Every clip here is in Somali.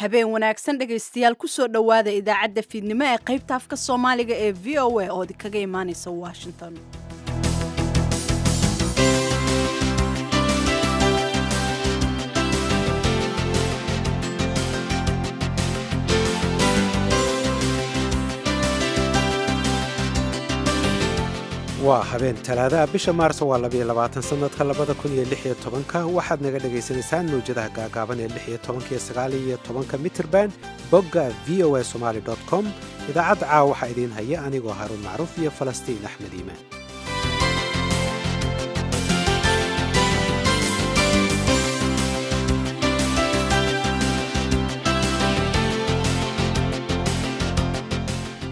Habeen wanaagsan dhegaystayaal, kusoo dhowaada idaacadda fiidnimo ee qaybta afka Soomaaliga ee VOA oo kaga imaaneysa Washington. Waa habeen Talaadaha, bisha Maarso waa 22, sanadka 2016-ka. Waxaad naga dhagaysanaysaan mawjadaha gaagaaban ee 16-ka iyo 19-ka mitirban, bogga voasomali com. Idaacadda caawa waxaa idiin haya anigoo Haruun Macruuf iyo Falastiin Axmed Iimaan.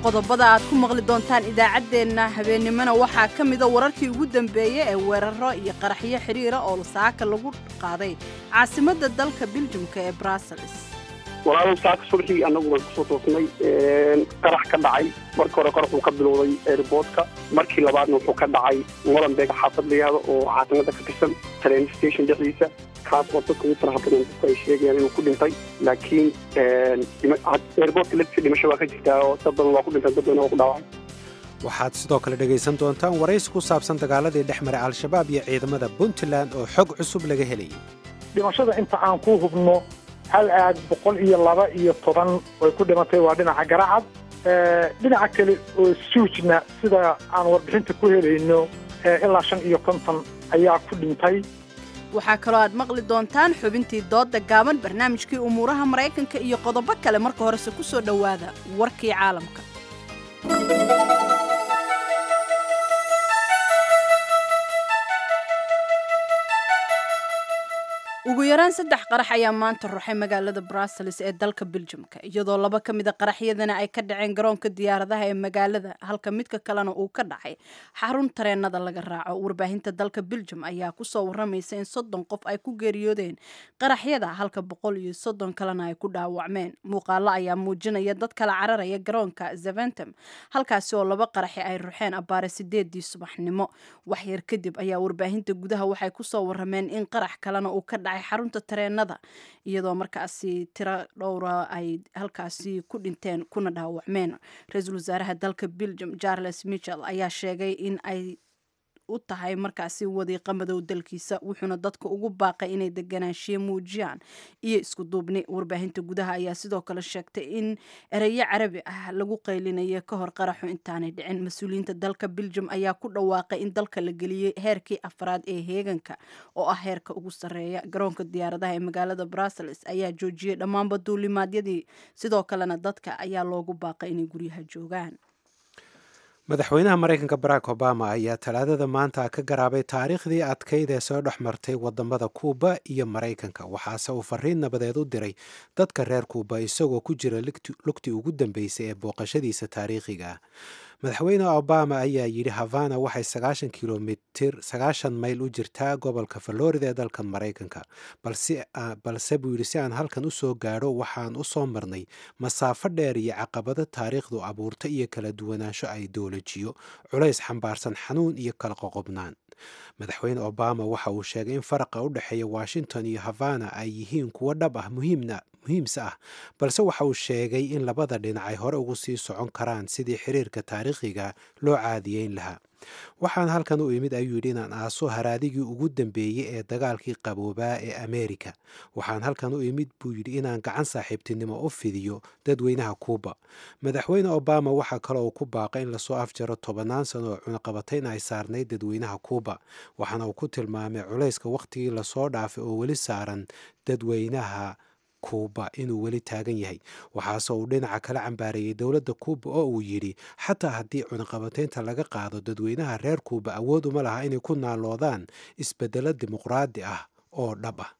Qodobada aad ku maqli doontaan idaacaddeenna habeennimona waxaa ka mida wararkii ugu dambeeyey ee weeraro iyo qaraxyo xiriira oo saaka lagu qaaday caasimadda dalka Biljumka ee Brussels. Walaalow, saaka subaxii annagu waan kusoo toosnay qarax ka dhacay. Marka hore qarax uu ka bilowday airportka, markii labaadna wuxuu ka dhacay Molenbeek, xaafad la yihahdo oo caasimada ka tirsan, train station dhexdiisa, kaas oo dadka ugu faraha badan dadku ay sheegayaan inuu ku dhintay. Laakiin airportka laftiisa dhimasho waa ka jirtaa oo dad badan waa ku dhintay, dad badan waa ku dhaawacay. Waxaad sidoo kale dhegaysan doontaan waraysi ku saabsan dagaaladii dhex maray Al-Shabaab iyo ciidamada Puntland oo xog cusub laga helayay. Dhimashada inta aan ku hubno, hal aag 112 way ku dhimatay, waa dhinaca Garacad. Dhinaca kale oo Suujna, sida aan warbixinta ku helayno, ilaa 55 ayaa ku dhintay. Waxaa kaloo aad maqli doontaan xubintii doodda gaaban, barnaamijkii umuuraha Maraykanka iyo qodobo kale. Marka horese ku soo dhowaada warkii caalamka. Ugu yaraan saddex qarax ayaa maanta ruxay magaalada Brussels ee dalka Biljamka, iyadoo laba ka mida qaraxyadana ay ka dhaceen garoonka diyaaradaha ee magaalada, halka midka kalena uu ka dhacay xarun tareenada laga raaco. Warbaahinta dalka Biljam ayaa kusoo waramaysa in 30 qof ay ku geeriyoodeen qaraxyada, halka 130 kalena ay ku dhaawacmeen. Muuqaalo ayaa muujinaya dad kala cararaya garoonka Zaventem, halkaasi oo laba qaraxi ay ruxeen abbaare 8-dii subaxnimo. Waxyar kadib ayaa warbaahinta gudaha waxay kusoo warameen in qarax kalena uu ka dhacay xarunta tareenada, iyadoo markaasi tiro dhowra ay halkaasi ku dhinteen kuna dhaawacmeen. Ra-iisul wasaaraha dalka Belgium Charles Michel ayaa sheegay in ay u tahay markaasi wadiiqa madow dalkiisa, wuxuuna dadka ugu baaqay inay deganaanshiye muujiyaan iyo isku duubni. Warbaahinta gudaha ayaa sidoo kale sheegtay in ereyo Carabi ah lagu qaylinayo ka hor qaraxu intaanay dhicin. Mas-uuliyiinta dalka Belgium ayaa ku dhawaaqay in dalka la geliyey heerkii afraad ee heeganka, oo ah heerka ugu sarreeya. Garoonka diyaaradaha ee magaalada Brussels ayaa joojiyey dhammaanba duulimaadyadii, sidoo kalena dadka ayaa loogu baaqay inay guryaha joogaan. Madaxweynaha Maraykanka Barack Obama ayaa Talaadada maanta ka garaabay taariikhdii adkayd ee soo dhex martay wadamada Kuuba iyo Maraykanka, waxaase uu fariin nabadeed u diray dadka reer Kuuba isagoo ku jira lugtii ugu dambeysay ee booqashadiisa taariikhiga ah. Madaxweyne Obama ayaa yidhi Havana waxay 90 kilomitir, 90 mayl u jirtaa gobolka Florida ee dalka Maraykanka, balse buu yidhi si aan halkan usoo gaadho waxaan u soo marnay masaafo dheer iyo caqabado taariikhdu abuurta iyo kala duwanaansho ideolojiyo, culays xambaarsan xanuun iyo kala qoqobnaan. Madaxweyne Obama waxa uu sheegay in faraqa u dhexeeya Washington iyo Havana ay yihiin kuwo dhab ah, muhiimna muhiimse ah, balse waxa uu sheegay in labada dhinac ay hore ugu sii socon karaan sidii xiriirka taariikhiga loo caadiyeyn lahaa. "Waxaan halkan u imid," ayuu yidhi, "inaan aaso haraadigii ugu dambeeyey ee dagaalkii qaboobaa ee Ameerika. Waxaan halkan u imid," buu yidhi, "inaan gacan saaxiibtinimo u fidiyo dadweynaha Kuuba." Madaxweyne Obama waxaa kale uu ku baaqay in lasoo afjaro tobannaan sano oo cunaqabatayn ay saarnayd dadweynaha Kuuba, waxaana uu ku tilmaamay culayska wakhtigii lasoo dhaafay oo weli saaran dadweynaha Kuuba inuu weli taagan yahay. Waxaase uu dhinaca kala cambaareeyey dowladda Kuuba oo uu yidhi xataa haddii cunaqabataynta laga qaado, dadweynaha reer Kuuba awood uma laha inay ku naaloodaan isbeddelo dimuqraadi ah oo dhab ah.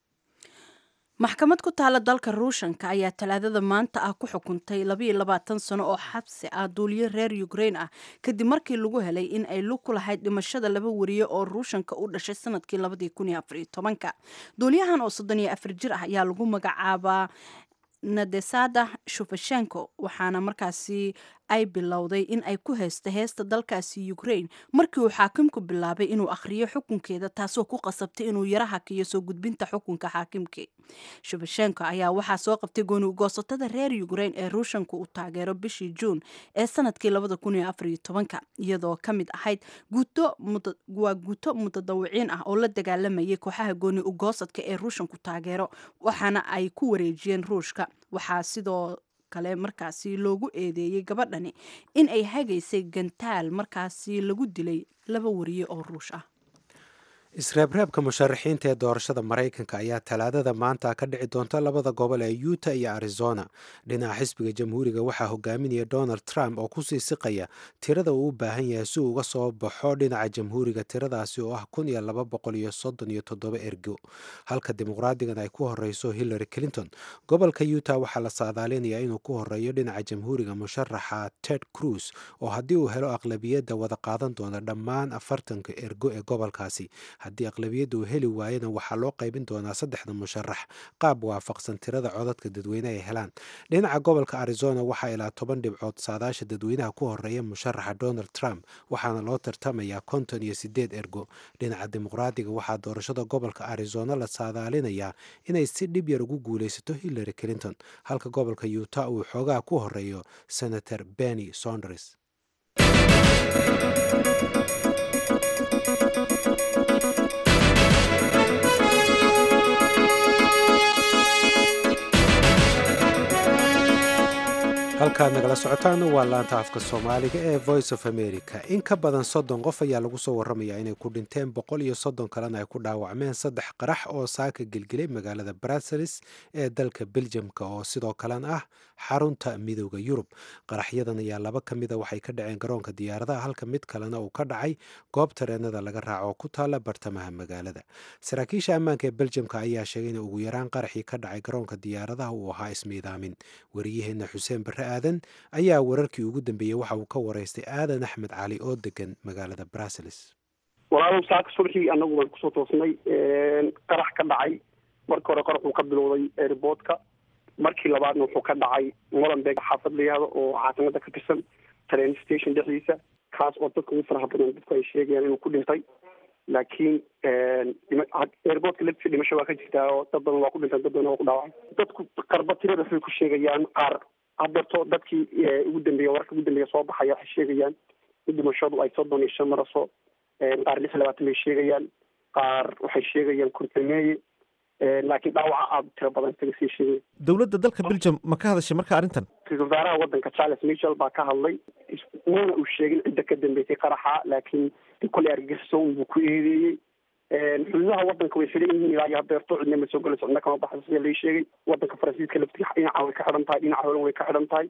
Maxkamad ku taala dalka Ruushanka ayaa Talaadada maanta ah ku xukuntay 22 sano oo xabsi ah duuliyo reer Ukraine ah, kadib markii lagu helay in ay lug ku lahayd dhimashada laba wariye oo Ruushanka u dhashay sanadkii 2014-ka. Duuliyahan oo 34 jir ah ayaa lagu magacaabaa Nadesada Shufashenko, waxaana markaasi ay bilowday in ay ku heysto heesta dalkaasi Ukraine markii uu xaakimku bilaabay inuu akhriyo xukunkeeda, taasoo ku qasabtay inuu yara hakiyo soo gudbinta xukunka xaakimkii. Shevchenko ayaa waxaa soo qabtay gooni ugoosatada reer Ukraine ee Ruushanku uu taageero bishii Juun ee sanadkii 2014, iyadoo ka mid ahayd guuto waa guuto mutadawiciin ah oo la dagaalamayay kooxaha gooni ugoosadka ee Ruushanku taageero, waxaana ay ku wareejiyeen Ruushka. Waxaa sidoo kale markaasi loogu eedeeyey gabadhani in ay hagaysay gantaal markaasi lagu dilay 2 wariye oo Ruush ah. Isreebreebka musharaxiinta ee doorashada Maraykanka ayaa Talaadada maanta ka dhici doonta labada gobol ee Utah iyo Arizona. Dhinaca xisbiga Jamhuuriga waxaa hogaaminaya Donald Trump oo kusii siqaya tirada uu u baahan yahay si uu uga soo baxo dhinaca Jamhuuriga, tiradaasi oo ah 1237 ergo, halka Dimuqraadigan ay ku horeyso Hillary Clinton. Gobolka Utah waxaa la saadaalinayaa inuu ku horeeyo dhinaca Jamhuuriga musharaxa Ted Cruz, oo haddii uu helo aqlabiyadda wada qaadan doona dhammaan 40ka ergo ee gobolkaasi. Haddii aqlabiyadda uu heli waayana, waxaa loo qaybin doonaa saddexda musharax qaab waafaqsan tirada codadka dadweyne ay helaan. Dhinaca gobolka Arizona waxaa ilaa 10 dhibcood saadaasha dadweynaha ku horeeya musharaxa Donald Trump, waxaana loo tartamayaa 58 ergo. Dhinaca Dimuqraadiga waxaa doorashada gobolka Arizona la saadaalinayaa inay si dhib yar ugu guuleysato Hillary Clinton, halka gobolka Utah uu xoogaa ku horeeyo Senator Bernie Sanders. Halkaad nagala socotaan waa laanta afka Soomaaliga ee Voice of America. In ka badan 30 qof ayaa lagu soo waramayaa inay ku dhinteen, 130 kalena ay ku dhaawacmeen saddex qarax oo saaka gelgelay magaalada Brussels ee dalka Beljamka, oo sidoo kalena ah xarunta Midooda Yurub. Qaraxyadan ayaa laba ka mida waxay ka dhaceen garoonka diyaaradaha, halka mid kalena uu ka dhacay goob tareenada laga raaco oo ku taala bartamaha magaalada. Saraakiisha ammaanka ee Beljamka ayaa sheegay in ugu yaraan qaraxii ka dhacay garoonka diyaaradaha uu ahaa ismiidaamin. Wariyaheena Xuseen Barre Aadan ayaa wararkii ugu dambeeyey waxa uu ka waraystay Aadan Axmed Cali oo degan magaalada Brussels. Walaalow, saaka subaxii annagu baan kusoo toosnay qarax ka dhacay. Marka hore qarax uu ka bilowday airportka, markii labaadna wuxuu ka dhacay Molenbeek xaafad la yihahdo oo caasimada ka tirsan, train station dhexdiisa, kaas oo dadka ugu faraha badan dadku ay sheegayaan inuu ku dhintay. Laakiin airportka laftiisa dhimasho waa ka jirtaa oo dad badan waa ku dhinteen, dad badan waa ku dhaawacay. Dadku qarba tirada waxbay ku sheegayaan qaar. Hadeerto dadkii ugu dambeeya, wararka ugu dambeeya soo baxaya waxay sheegayaan in dhimashadu ay 35 maraso, qaar 26 bay sheegayaan, qaar waxay sheegayaan 50meeye, laakiin dhaawaca aada u tiro badan isaga sii sheegaya. Dowladda dalka Belgium ma ka hadashay marka arrintan? Ra-iisul wasaaraha waddanka Charles Michel baa ka hadlay, mana uu sheegin cidda ka dambeysay qaraxa, laakiin kolley argagixiso buu ku eedeeyey. Xuduudaha waddanka way xidhan yihiin ilaa iyo hadeerto, cidna ma soo gelayso, cidna kama baxayso sida lai sheegay. Waddanka Faransiiska laftiga dhinaca way ka xidhan tahay, dhinaca holan way ka xidhan tahay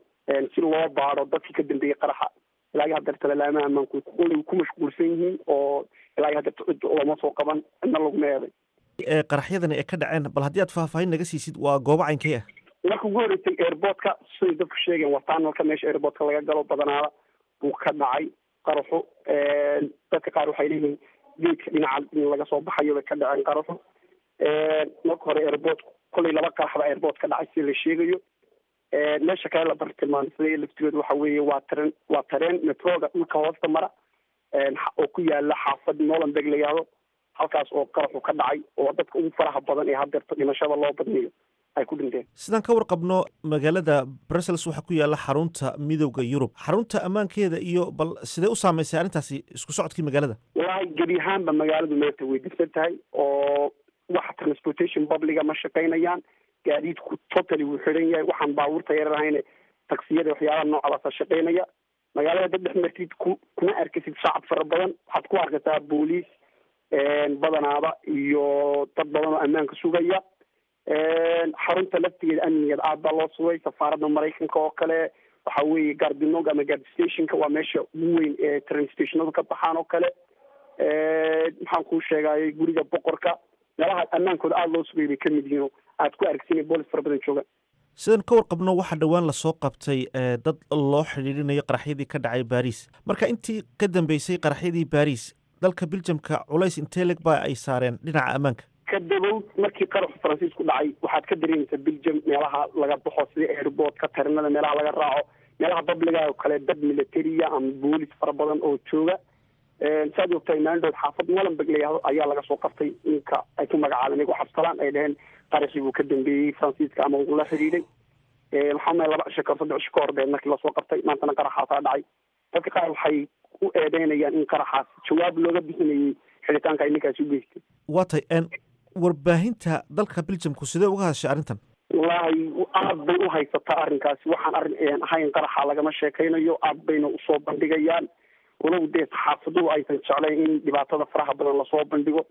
si loo baaro dadkii ka dambeeyey qaraxa. Ilaa iyo hadeerta lalaamaha ammaanku koley ku mashquulsan yihiin oo ilaa iyo hadeerta cid lama soo qaban, cidna laguma eeday. Ee qaraxyadani ay ka dhaceen, bal haddii aad faahfaahin naga siisid, waa goobo caynkee ah? Marka ugu horreysay airportka, siday dadku sheegeen, waa tunnelka meesha airportka laga galo badanaada buu ka dhacay qaraxu. Dadka qaar waxay leeyihiin geedka dhinaca in laga soo baxayo bay ka dhaceen qaraxu. Marka hore airport kolley laba qarax baa airport ka dhacay sida la sheegayo. Meesha kale la bartilmaamsaday laftigooda waxa weeye waa tareen metroga dhulka hoosta mara oo ku yaala xaafad Molenbeek la yihahdo, halkaas oo qaraxu ka dhacay oo dadka ugu faraha badan ee hadeerto dhimashada loo badniyo ay ku dhinteen. Sidaan ka warqabno, magaalada Brussels waxaa ku yaala xarunta Midowda Yurub. Xarunta ammaankeeda iyo bal sidee u saameysay arrintaasi isku socodkii magaalada? Wallaahi, gebi ahaanba magaaladu maanta way degsan tahay oo wax transportation publica ma shaqaynayaan. Gaadiidku totally wuu xidhan yahay. Waxaan baabuurta yarar ahayne, taksiyada, waxyaalaha noocaasa shaqaynaya. Magaalada dad dhex martid ku kuma arkasid shacab fara badan, waxaad ku arkaysaa booliis badanaaba iyo dad badan oo ammaanka sugaya. Xarunta laftigeeda amnigeeda aad baa loo sugay. Safaaradda Maraykanka oo kale, waxa weeye Gare du Nord ama gare stationka, waa meesha ugu weyn ee train stationadu ka baxaan oo kale. Maxaan kuu sheegayay, guriga boqorka, meelaha ammaankooda aada loo sugay bay kamid yihiin oo aad ku aragsin in boolis fara badan joogaan. Sidaan ka warqabno, waxaa dhowaan lasoo qabtay dad loo xidhiidhinayo qaraxyadii ka dhacay Baris. Marka intii ka dambeysay qaraxyadii Baris, dalka Biljamka culays intee leg ba ay saareen dhinaca ammaanka? Ka dabow markii qaraxu Faransiisku dhacay, waxaad ka dareemaysaa Belgium meelaha laga baxo sida airportka, tarinada meelaha laga raaco. Meelaha public-ga oo kale dad militariya ama boolis fara badan oo jooga. Saad ogtahay, maalin xaafad Molenbeek la yidhaahdo ayaa laga soo qabtay ninka ay ku magacaabeen iyago Cabsalaan, ay dhaheen qaraxii buu ka dambeeyey Faransiiska ama uu la xidhiidhay. Waxaa maya 2 cisho kahor, 3 cisho ka hor beed markii lasoo qabtay. Maantana qaraxaasaa dhacay. Dadka qaar waxay u eedeynayaan in qaraxaas jawaab looga bixinayay xidhitaanka ay ninkaasi u geystay. Waa tahay. Warbaahinta dalka Belgiumku sidee uga hadashay arrintan? Wallaahi, aad bay u haysataa arrinkaasi. Waxaan arrin ahayn qaraxa lagama sheekaynayo, aad bayna usoo bandhigayaan, walow dee saxaafaduhu aysan jeclayn in dhibaatada faraha badan lasoo bandhigo,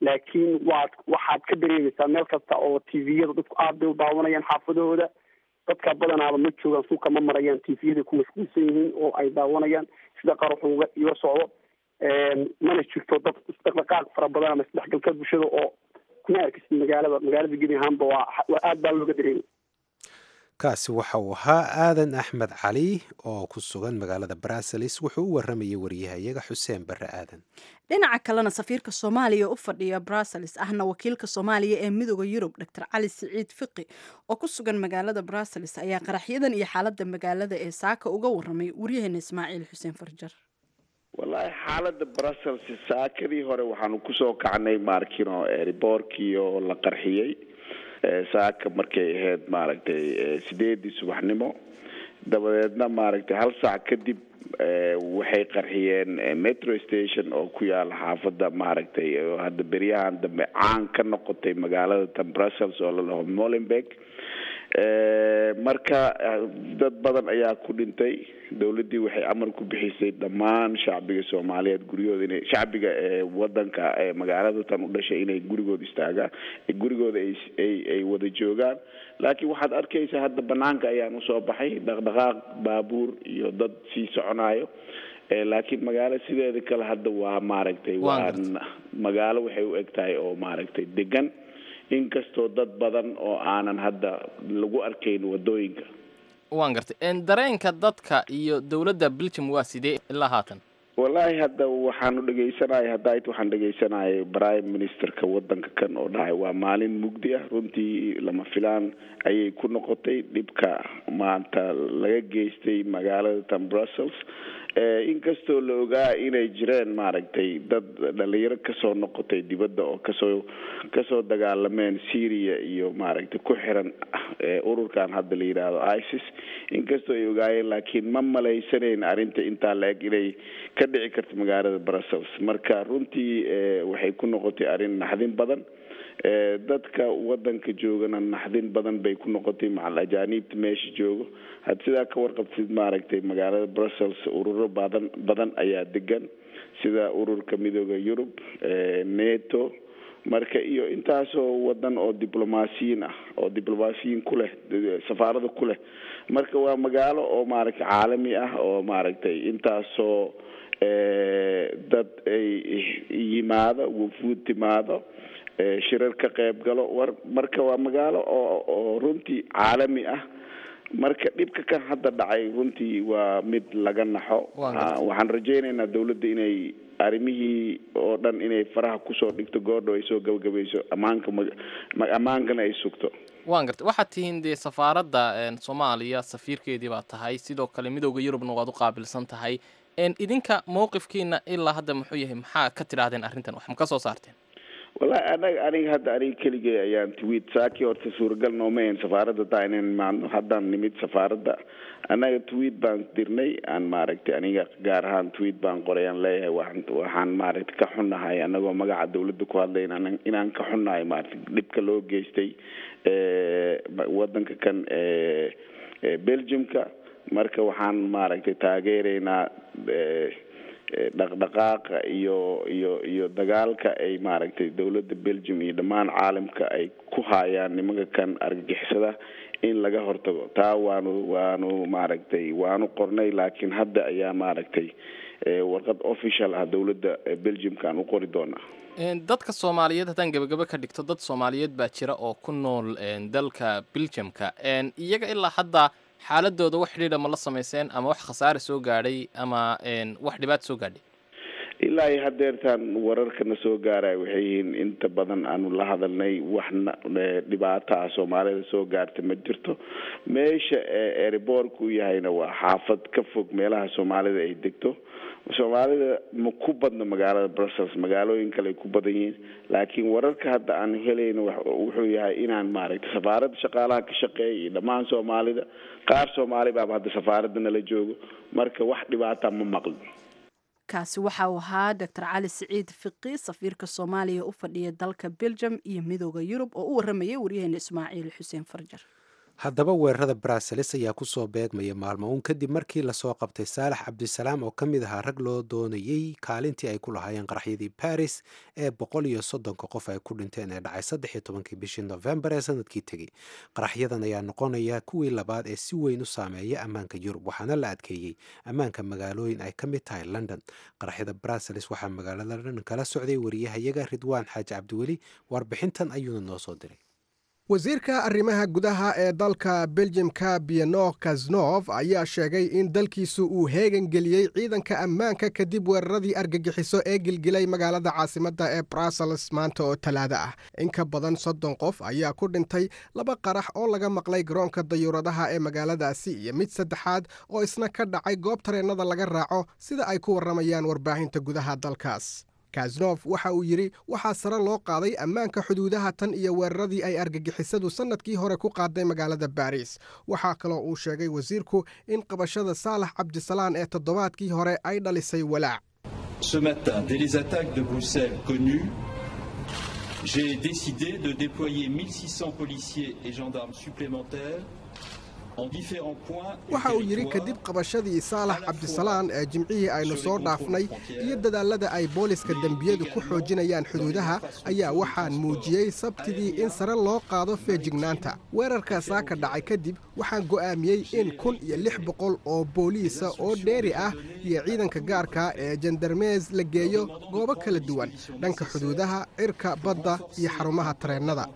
laakiin waad waxaad ka dareemaysaa meel kasta oo TV-yada dadku aad bay u daawanayaan. Xaafadahooda dadka badanaaba ma joogaan, suuqa ma marayaan, TV-yada ku mashquulsan yihiin oo ay daawanayaan sida qaraxu uga iga socdo. Mana jirto dad isdhaqdhaqaaq fara badan ama isdhexgalka bulshada oo kuma arkisid magaalada. Magaalada gebi ahaanba waa aad baa looga dareemay. Kaasi waxa uu ahaa Aadan Axmed Cali oo ku sugan magaalada Brussels. Wuxuu u waramayay wariyahayaga Xuseen Barre Aadan. Dhinaca kalena, safiirka Soomaaliya u fadhiya Brussels, ahna wakiilka Soomaaliya ee Midooda Yurub, Dr Cali Siciid Fiqi, oo ku sugan magaalada Brussels, ayaa qaraxyadan iyo xaaladda magaalada ee saaka uga waramay waryaheena Ismaaciil Xuseen Farjar. Wallaahi, xaaladda Brussels saakadii hore waxaanu kusoo kacnay maarkino airport-kii oo la qarxiyey saaka markay ahayd, maaragtay, 8-dii subaxnimo. Dabadeedna, maaragtay, hal saac kadib waxay qarxiyeen metro station oo ku yaala xaafadda, maaragtay, oo hadda beryahan dambe caan ka noqotay magaalada tan Brussels oo la dhaho Molenbeek. Marka dad badan ayaa ku dhintay. Dawladdii waxay amar ku bixisay dhammaan shacbiga Soomaaliyeed guryahooda inay, shacbiga ee wadanka ee magaalada tan u dhashay, inay gurigooda istaagaan, gurigooda ay wada joogaan. Laakiin waxaad arkaysaa hadda banaanka ayaan usoo baxay dhaqdhaqaaq baabuur iyo dad sii soconayo, laakiin magaalo sideeda kale hadda waa, maaragtay, waa magaalo waxay u eg tahay oo, maaragtay, degan, inkastoo dad badan oo aanan hadda lagu arkayn wadooyinka. Waan gartay. Dareenka dadka iyo dowladda Belgium waa sidee ilaa haatan? Wallaahi, hadda waxaanu dhegaysanaya hadda waxaan dhegaysanayay prime minister-ka wadanka kan oo dhahay waa maalin mugdi ah. Runtii lama filaan ayay ku noqotay dhibka maanta laga geystay magaalada tan Brussels, inkastoo la ogaa inay jireen, maaragtay, dad dhalinyaro kasoo noqotay dibadda oo kasoo dagaalameen Syria iyo, maaragtay, ku xiran ururkan hadda la yidhaahdo ISIS. Inkastoo ay ogaayeen, laakiin ma malaysanayn arrinta intaa la eg inay ka dhici karto magaalada Brussels. Marka runtii waxay ku noqotay arrin naxdin badan. Dadka wadanka joogana naxdin badan bay ku noqotay, macal ajaaniibta meesha joogo. Had sidaa ka warqabtid, maaragtay, magaalada Brussels ururo badan badan ayaa degan, sida ururka Midooda Yurub, NATO, marka iyo intaasoo wadan oo diblomaasiyiin ah oo diblomaasiyiin ku leh, safaarada ku leh. Marka waa magaalo oo, maaragtay, caalami ah oo, maaragtay, intaasoo dad ay yimaado, wufuud timaado, shirar ka qayb galo war. Marka waa magaalo oo runtii caalami ah. Marka dhibka kan hadda dhacay runtii waa mid laga naxo. Waxaan rajaynaynaa dawladda inay arrimihii oo dhan inay faraha kusoo dhigto goordhow, ay soo gabagabayso, ammaanka ammaankana ay sugto. Waan gartay. Waxaad tihiin dee safaaradda Soomaaliya safiirkeedii baa tahay, sidoo kale Midooda Yurubna waad u qaabilsan tahay. Idinka mowqifkiina ilaa hadda muxuu yahay? Maxaa ka tidhaahdeen arrintan? Wax ma ka soo saarteen? Wallahi, anaga aniga hadda aniga keligay ayaan tweet saakii. Horta suuragal nooma ahayn safaaradda taa inaan imaadno. Haddaan nimid safaaradda, annaga tweet baan dirnay aan, maaragtay, aniga gaar ahaan tweet baan qoray aan leeyahay waxaan, maaragtay, ka xunnahay, anagoo magaca dawladda ku hadlay, inaan ka xunnahay, maaragtay, dhibka loo geystay wadanka kan Belgiumka. Marka waxaan, maaragtay, taageeraynaa dhaqdhaqaaqa iyo dagaalka ay, maaragtay, dawladda Belgium iyo dhammaan caalamka ay ku hayaan nimanka kan argagixisada in laga hortago. Taa waanu maaragtay, waanu qornay, laakiin hadda ayaa, maaragtay, warqad official ah dawladda Belgiumka aan u qori doonaa. Dadka Soomaaliyeed haddaan gabagabo ka dhigto, dad Soomaaliyeed baa jira oo ku nool dalka Belgiumka. Iyaga ilaa hadda xaaladooda wax xidhiidha ma la samayseen, ama wax khasaare soo gaadhay ama wax dhibaato soo gaadhay? Ilaa iyo hadeertaan wararkana soo gaaraya waxay yihiin inta badan aanu la hadalnay, waxna dhibaato ah Soomaalida soo gaarta ma jirto. Meesha airportka u yahayna waa xaafad ka fog meelaha Soomaalida ay degto. Soomaalida ma ku badna magaalada Brussels, magaalooyin kale ay ku badan yihiin, laakiin wararka hadda aan helayno wuxuu yahay inaan maaragtay safaaradda shaqaalaha ka shaqeeya iyo dhammaan Soomaalida, qaar Soomaali baaba hadda safaaradda nala joogo, marka wax dhibaata ma maqlin. Kaasi waxa uu ahaa Doctor Cali Siciid Fiqi, safiirka Soomaaliya u fadhiya dalka Belgium iyo Midooda Yurub, oo u waramayay waryaheena Ismaaciil Xuseen Farjar. Haddaba weerarada Brussels ayaa kusoo beegmaya maalmo uun kadib markii lasoo qabtay Saalax Cabdisalaam oo ka mid ahaa rag loo doonayey kaalintii ay ku lahaayeen qaraxyadii Paris ee 130-ka qof ay ku dhinteen ee dhacay 13-kii bishii Nofembar ee sanadkii tegey. Qaraxyadan ayaa noqonaya kuwii labaad ee si weyn u saameeya ammaanka Yurub, waxaana la adkeeyey ammaanka magaalooyin ay ka mid tahay London. Qaraxyada Brussels waxaa magaalada London kala socday wariyahayaga Ridwaan Xaaji Cabdiweli, warbixintan ayuuna noo soo diray. Wasiirka arrimaha gudaha ee dalka Beljimka, Benoît Cazeneuve, ayaa sheegay in dalkiisu uu heegan geliyey ciidanka ammaanka kadib weeraradii argagixiso ee gilgilay magaalada caasimadda ee Brussels maanta oo Talaado ah. In ka badan 30 qof ayaa ku dhintay laba qarax oo laga maqlay garoonka dayuuradaha ee magaaladaasi iyo mid saddexaad oo isna ka dhacay goob tareennada laga raaco, sida ay ku warramayaan warbaahinta gudaha dalkaas. Cazeneuve waxa uu yidhi waxaa sare loo qaaday ammaanka xuduudaha tan iyo weeraradii ay argagixisadu sannadkii hore ku qaaday magaalada Baris. Waxaa kaloo uu sheegay wasiirku in qabashada Saalax Cabdisalaan ee toddobaadkii hore ay dhalisay walaac. Ce matin, dès les attaques de Bruxelles connues, j'ai décidé de déployer 1600 policiers et gendarmes supplémentaires. Waxa uu yidhi kadib qabashadii Saalax Cabdisalaan ee Jimcihii aynu soo dhaafnay iyo dadaallada ay booliska dembiyadu ku xoojinayaan xuduudaha, ayaa waxaan muujiyey Sabtidii in sare loo qaado feejignaanta. Weerarka saaka dhacay kadib, waxaan go'aamiyey in 1600 oo booliisa oo dheeri ah iyo ciidanka gaarka ee jandarmees la geeyo goobo kala duwan dhanka xuduudaha cirka, badda iyo xarumaha tareennada.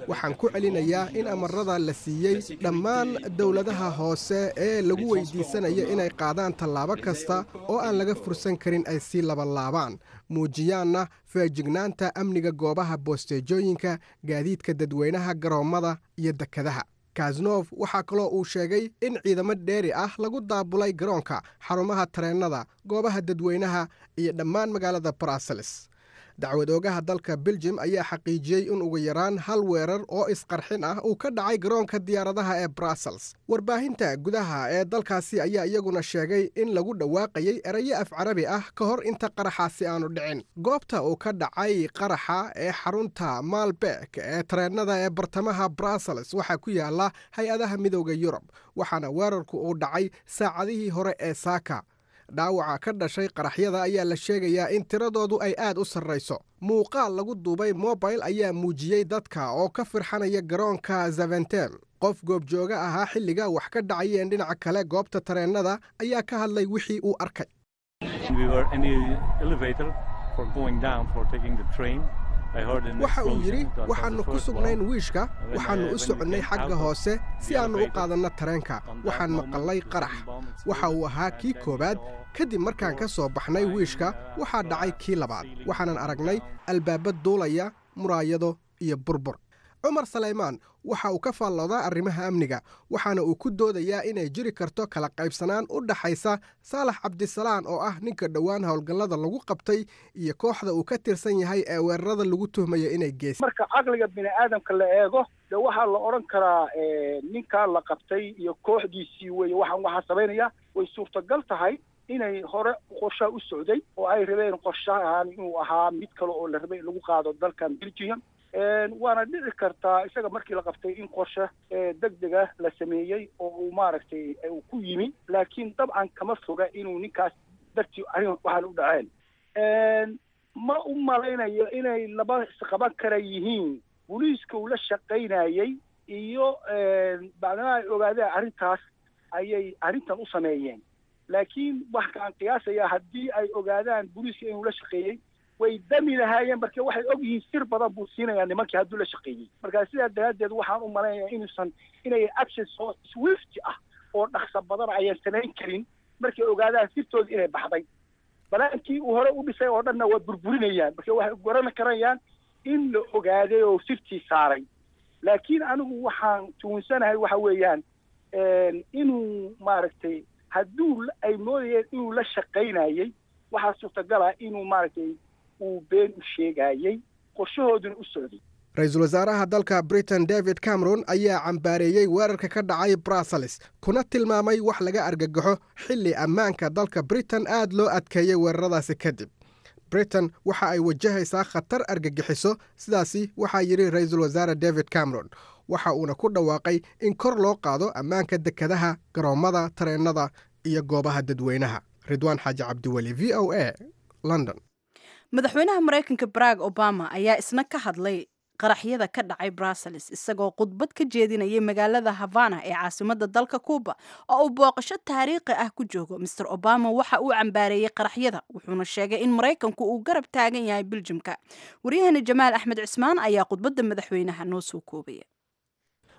Waxaan ku celinayaa in amarada la siiyey dhammaan dowladaha hoose ee lagu weydiisanayo inay qaadaan tallaabo kasta oo aan laga fursan karin ay sii labanlaabaan, muujiyaanna feejignaanta amniga goobaha boosteejooyinka, gaadiidka dadweynaha, garoommada iyo dekadaha. Cazeneuve waxaa kaloo uu sheegay in ciidamo dheeri ah lagu daabulay garoonka, xarumaha tareennada, goobaha dadweynaha iyo dhammaan magaalada Brussels. Dacwad oogaha dalka Beljim ayaa xaqiijiyey in ugu yaraan hal weerar oo isqarxin ah uu ka dhacay garoonka diyaaradaha ee Brussels. Warbaahinta gudaha ee dalkaasi ayaa iyaguna sheegay in lagu dhawaaqayay erayo af Carabi ah ka hor inta qaraxaasi aanu dhicin. Goobta uu ka dhacay qaraxa ee xarunta Maalbeek ee tareennada ee bartamaha Brussels waxaa ku yaala hay-adaha Midooda Yurub, waxaana weerarku uu dhacay saacadihii hore ee saaka. Dhaawaca ka dhashay qaraxyada ayaa la sheegayaa in tiradoodu ay aad u sarrayso. Muuqaal lagu duubay mobile ayaa muujiyey dadka oo ka firxanaya garoonka Zaventem. Qof goobjooga ahaa xilliga wax ka dhacayeen dhinaca kale goobta tareennada ayaa ka hadlay wixii uu arkay. Waxa uu yidhi waxaannu ku sugnayn wiishka, waxaannu u soconnay xagga hoose si aannu u qaadanno tareenka. Waxaan maqallay qarax, waxa uu ahaa kii koowaad. Kadib markaan ka soo baxnay wiishka, waxaa dhacay kii labaad. Waxaanan aragnay albaaba duulaya, muraayado iyo burbur. Cumar Salaymaan waxa uu ka faalloodaa arrimaha amniga, waxaana uu ku doodayaa inay jiri karto kala qaybsanaan u dhaxaysa Saalax Cabdisalaan oo ah ninka dhowaan howlgallada lagu qabtay iyo kooxda uu ka tirsan yahay ee weerarada lagu tuhmayo inay geysay. Marka caqliga bini aadamka la eego, dee waxaa la odhan karaa ninkaa la qabtay iyo kooxdiisii weeye waxaan waxaa samaynaya. Way suurtagal tahay inay hore qorshaha u socday oo ay rabeen qorshahan inuu ahaa mid kale oo la rabay in lagu qaado dalkan Belgium. Waana dhici kartaa isaga markii la qabtay in qorshe degdega la sameeyey oo uu maaragtay uu ku yimi, laakiin dabcan kama foga inuu ninkaas dartii arrin waxaan u dhaceen. Ma u malaynayo inay laba isqaban kara yihiin booliiska uu la shaqaynayey iyo bacdama ay ogaadeen arrintaas ayay arrintan u sameeyeen, laakiin waxkaan qiyaasayaa haddii ay ogaadaan booliiska inuu la shaqeeyey way dami lahaayeen, marka waxay og yihiin sir badan buu siinayaa nimankii hadduu la shaqeeyey. Marka sidaa daraaddeed waxaan u malaynayaa inuusan inay action soo swift ah oo dhaqso badan ayaan samayn karin markay ogaadaan sirtooda inay baxday. Balaankii uu hore u dhisay oo dhanna waa burburinayaan, marka waxay garan karayaan in la ogaaday oo sirtii saaray. Laakiin anigu waxaan tuunsanahay waxa weeyaan inuu maaragtay hadduu ay moodayeen inuu la shaqaynayay, waxaa suurtagala inuu maaragtay uu been u sheegayay, qorshahooduna u socday. Ra-iisul wasaaraha dalka Britain David Cameron ayaa cambaareeyey weerarka ka dhacay Brussels, kuna tilmaamay wax laga argagaxo xilli ammaanka dalka Britain aad loo adkeeyey weeraradaasi kadib. Britain waxa ay wajahaysaa khatar argagixiso, sidaasi waxaa yidhi ra-iisul wasaare David Cameron. Waxa uuna ku dhawaaqay in kor loo qaado ammaanka dekadaha, garoommada tareennada iyo goobaha dadweynaha. Ridwaan Xaaji Cabdiweli, VOA, London. Madaxweynaha Maraykanka Barack Obama ayaa isna ka hadlay qaraxyada ka dhacay Brussels, isagoo khudbad ka jeedinayay magaalada Havana ee caasimada dalka Cuuba oo uu booqasho taariikhi ah ku joogo. Mr Obama waxa uu cambaareeyey qaraxyada, wuxuuna sheegay in Maraykanku uu garab taagan yahay Biljamka. Waryahana Jamaal Axmed Cismaan ayaa khudbadda madaxweynaha noo soo koobaya.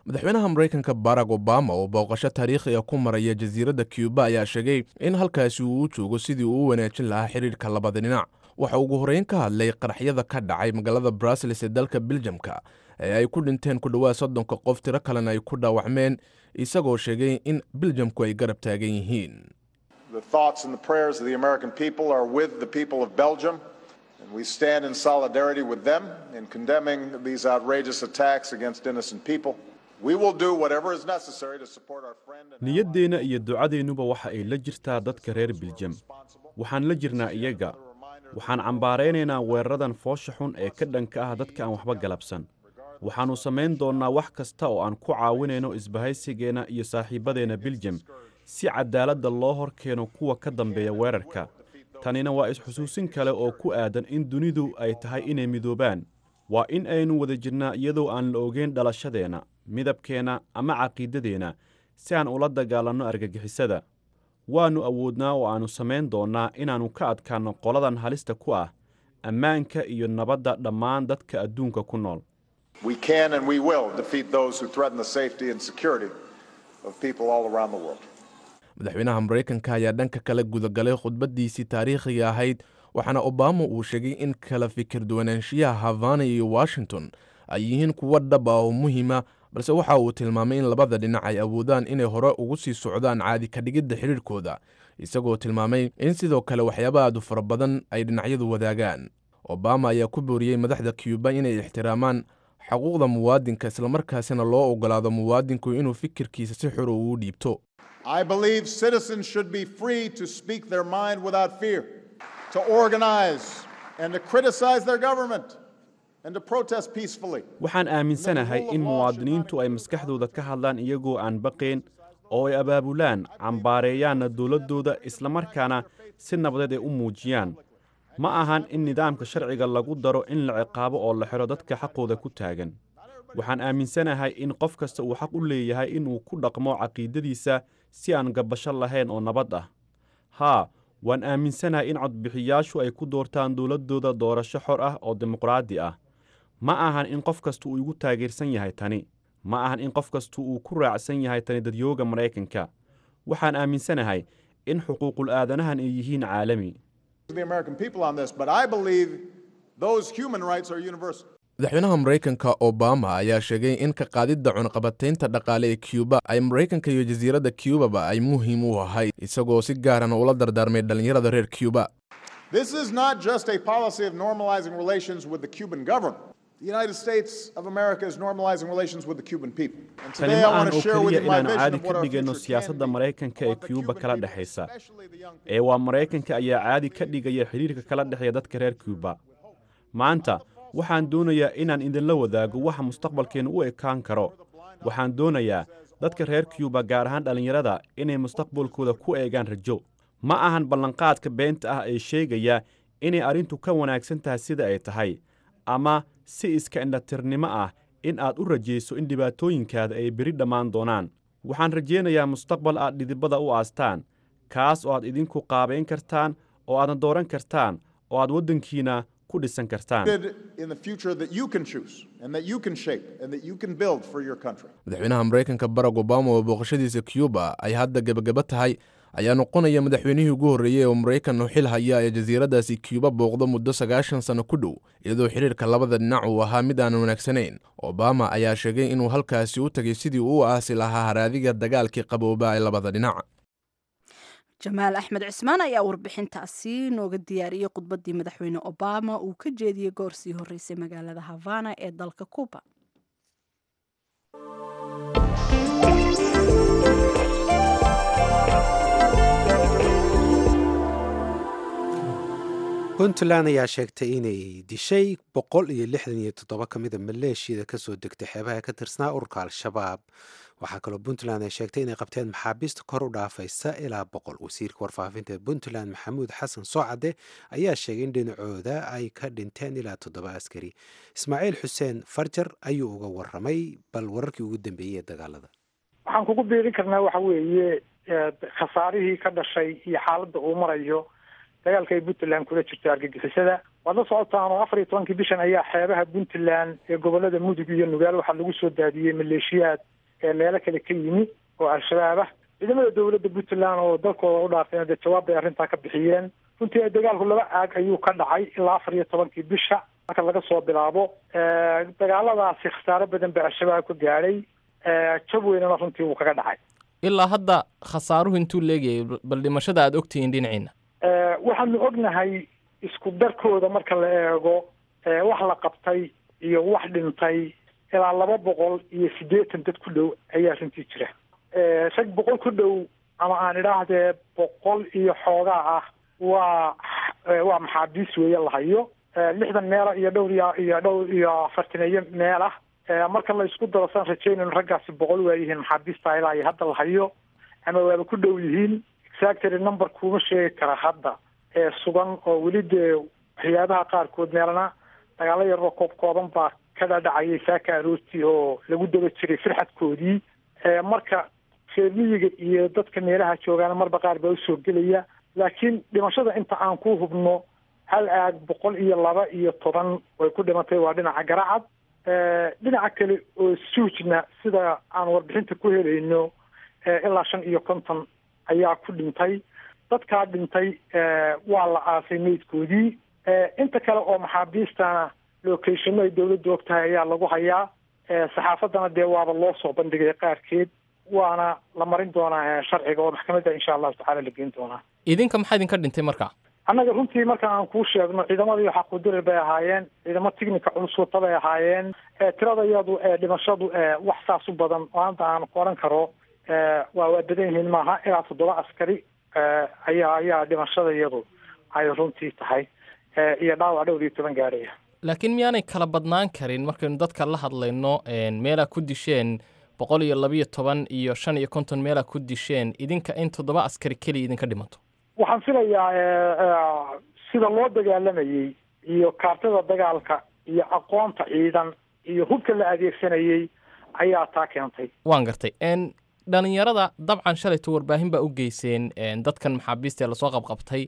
Madaxweynaha Maraykanka Barack Obama oo booqasho taariikhiga ku maraya jasiiradda Cuba ayaa sheegay in halkaasi uu u joogo sidii uu u wanaajin lahaa xidhiirka labada dhinac. Waxa ugu horreyn ka hadlay qaraxyada ka dhacay magaalada Brussels ee dalka Biljamka ee ay ku dhinteen ku dhowaad 30-ka qof, tiro kalena ay ku dhaawacmeen, isagoo sheegay in Biljamku ay garab taagan yihiin. The thoughts and the prayers of the American people are with the people of Belgium, and we stand in solidarity with them in condemning these outrageous attacks against innocent people. We will do whatever is necessary to support our friend and Niyaddeenna iyo ducadeennuba waxa ay la jirtaa dadka reer Biljam. Waxaan la jirnaa iyaga. Waxaan cambaaraynaynaa weeraradan foosha xun ee ka dhanka ah dadka aan waxba galabsan. Waxaannu samayn doonnaa wax kasta oo aan ku caawinayno isbahaysigeenna iyo saaxiibbadeenna Biljam si caddaaladda loo hor keeno kuwa ka dambeeya weerarka. Tanina waa is-xusuusin kale oo ku aadan in dunidu ay tahay inay midoobaan. Waa in aynu wada jirnaa iyadoo aan la ogeyn dhalashadeenna, midabkeenna ama caqiidadeenna, si aan ula dagaalanno argagixisada. Waannu awoodnaa oo aannu samayn doonnaa inaannu ka adkaanno qoladan halista ku ah ammaanka iyo nabadda dhammaan dadka adduunka ku nool. We can and we will defeat those who threaten the safety and security of people all around the world. Madaxweynaha Maraykanka ayaa dhanka kale gudagalay khudbaddiisii taariikhiga ahayd, waxaana Obama uu sheegay in kala fikir duwanaanshiyaha Havana iyo Washington ay yihiin kuwo dhab ah oo muhiima, balse waxa uu tilmaamay in labada dhinac ay awoodaan inay hore ugu sii socdaan caadi ka dhigidda xidhiirhkooda, isagoo tilmaamay in sidoo kale waxyaaba aadu fara badan ay dhinacyadu wadaagaan. Obama ayaa ku booriyey madaxda Cuba inay ixtiraamaan xuquuqda muwaadinka, islamarkaasina loo ogolaado muwaadinku inuu fikirkiisa si xor ugu dhiibto. I believe citizens should be free to speak their mind without fear, to organize and to criticize their government, and to protest peacefully. Waxaan aaminsanahay in muwaadiniintu ay maskaxdooda ka hadlaan iyagoo aan baqayn, oo ay abaabulaan, cambaareeyaanna dowladdooda, islamarkaana si nabadeed ay u muujiyaan. Ma ahan in nidaamka sharciga lagu daro in la ciqaabo oo la xidho dadka xaqooda ku taagan. Waxaan aaminsanahay in qof kasta uu xaq u leeyahay inuu ku dhaqmo caqiidadiisa si aan gabbasho lahayn oo nabad ah. Haa, waan aaminsanahay in codbixiyaashu ay ku doortaan dowladdooda doorasho xor ah oo dimuqraadi ah. Ma ahan in qof kasta uu igu taageersan yahay tani. Ma ahan in qof kasta uu ku raacsan yahay tani dadyooga Maraykanka. Waxaan aaminsanahay in xuquuqul aadanahan ay yihiin caalami. The American people on this, but I believe those human rights are universal. Madaxweynaha Maraykanka Obama ayaa sheegay in ka qaadidda cunaqabataynta dhaqaale ee Cuba ay Maraykanka iyo jasiiradda Cubaba ay muhiim u ahayd, isagoo si gaarana ula dardaarmay dhallinyarada reer Cuba. This is not just a policy of normalizing relations with the Cuban government. The United States of America is normalizing relations with the Cuban people. And Tani today ma I ahan want to oo share with keliya you my inaannu vision caadi of ka what our dhigayno future can siyaasadda be. Maraykanka ee Cuba kala dhexaysa, ee waa Maraykanka ayaa caadi ka dhigaya xidhiirka kala dhexeeya dadka reer Cuba. Maanta waxaan doonayaa inaan idinla wadaago waxa mustaqbalkeennu u ekaan karo. Waxaan doonayaa dadka reer Cuba, gaar ahaan dhallinyarada, inay mustaqbalkooda ku eegaan rajo. Ma ahan ballanqaadka beenta ah ee sheegaya inay arrintu ka wanaagsan tahay sida ay tahay, ama si iska indhatirnimo ah in aad u rajayso in dhibaatooyinkaada ay beri dhammaan doonaan. Waxaan rajaynayaa mustaqbal aad dhidibada u aastaan, kaas oo aad idinku qaabayn kartaan, oo aadna dooran kartaan, oo aad waddankiina ku dhisan kartaan. In the future that you can choose and that you can shape and that you can build for your country. Madaxweynaha Maraykanka Barack Obama oo booqashadiisa Cuba ay hadda gebagaba tahay ayaa noqonaya madaxweynihii ugu horreeyey oo maraykan xil haya ee jasiiraddaasi Cuba booqdo muddo 90 sano ku dhow, iyadoo xiriirka labada dhinac uu ahaa mid aan wanaagsanayn. Obama ayaa sheegay inuu halkaasi u tagay sidii uu u aasi lahaa haraadiga dagaalkii qabooba ee labada dhinac. Jamaal Axmed Cismaan ayaa warbixintaasi nooga diyaariyey khudbaddii madaxweyne Obama uu ka jeediyey goor sii horreysay magaalada Havana ee dalka Cuba. Puntland ayaa sheegtay inay dishay 167 ka mida maleeshiyada kasoo degtay xeebaha ka tirsanaa ururka Al-Shabaab. Waxaa kaloo Puntland ay sheegtay inay qabteen maxaabiista kor u dhaafaysa ilaa 100. Wasiirka warfaafinta ee Puntland, Maxamuud Xasan Soocade, ayaa sheegay in dhinacooda ay ka dhinteen ilaa 7 askari. Ismaaciil Xuseen Farjar ayuu uga waramay bal wararkii ugu dambeeyey ee dagaalada. Waxaan kugu biirin karnaa waxa weeye khasaarihii ka dhashay iyo xaaladda uu marayo dagaalka ay Puntland kula jirto argagixisada. Waad la socotaan oo 14-kii bishan ayaa xeebaha Puntland ee gobolada Mudug iyo Nugaal waxaa lagu soo daadiyey maleeshiyaad ee meelo kale ka yimi oo Al-Shabaab ah. Ciidamada dowladda Puntland oo dalkooda u dhaafeen dee jawaab bay arrintaa ka bixiyeen. Runtii dagaalku laba aag ayuu ka dhacay ilaa 14-kii bisha marka laga soo bilaabo. Dagaaladaasi khasaaro badan baa Al-Shabaab ka gaadhay, jab weynana runtii wuu kaga dhacay. Ilaa hadda khasaaruhu intuu leegayay, bal dhimashada aada ogtihiin dhinaciina? Waxaanu ognahay isku darkooda marka la eego wax la qabtay iyo wax dhintay ilaa 280 dad ku dhow ayaa runtii jira. Rag 100 ku dhow ama aan idhaahdee 100 iyo xoogaa ah waa maxaabiis weeye la hayo, 60 meela iyo dhowr iyo dhowr iyo afartaneeyo meel ah. Marka la isku daro saan rajaynayno raggaasi 100 waa yihiin maxaabiista ilaa iyo hadda la hayo ama waaba ku dhow yihiin. Exactly number kuma sheegi kara hadda ee sugan oo weli dee waxyaabaha qaarkood meelana dagaalo yaroo koob kooban baa ka dhadhacayay saaka aroortii oo lagu daba jiray firxadkoodii. Marka reer miyiga iyo dadka meelaha joogaana marba qaar baa usoo gelaya, laakiin dhimashada inta aan ku hubno hal aag 112 way ku dhimatay, waa dhinaca Garacad. Dhinaca kale oo Suujna sida aan warbixinta ku helayno ilaa 55 ayaa ku dhintay. Dadkaa dhintay waa la aasay meydkoodii. Inta kale oo maxaabiistana locationo ay dowladdu og tahay ayaa lagu hayaa. Saxaafaddana dee waaba loo soo bandhigay qaarkeed, waana la marin doonaa sharciga oo maxkamadda insha allahu tacala la geyn doonaa. Idinka maxaa idinka dhintay marka? Annaga runtii marka aan kuu sheegno ciidamadii xaquudirir bay ahaayeen, ciidamo tignika culus wata bay ahaayeen. Tirada iyadu dhimashadu wax saas u badan oo hadda aan ku oran karo waa badan yihiin maaha, ilaa 7 askari ayaa dhimashada iyadu ay runtii tahay iyo dhaawac dhowr iyo toban gaaraya. Laakiin miyaanay kala badnaan karin markaynu dadka la hadlayno meelaa ku disheen 112 iyo 55 meelaa ku disheen, idinka in 7 askari keliya idinka dhimato? Waxaan filayaa sida loo dagaalamayey iyo kaartada dagaalka iyo aqoonta ciidan iyo hubka la adeegsanayey ayaa taa keentay. Waan gartay. Dhalinyarada dabcan shalayto warbaahin baa u geyseen dadkan maxaabiista ee lasoo qabqabtay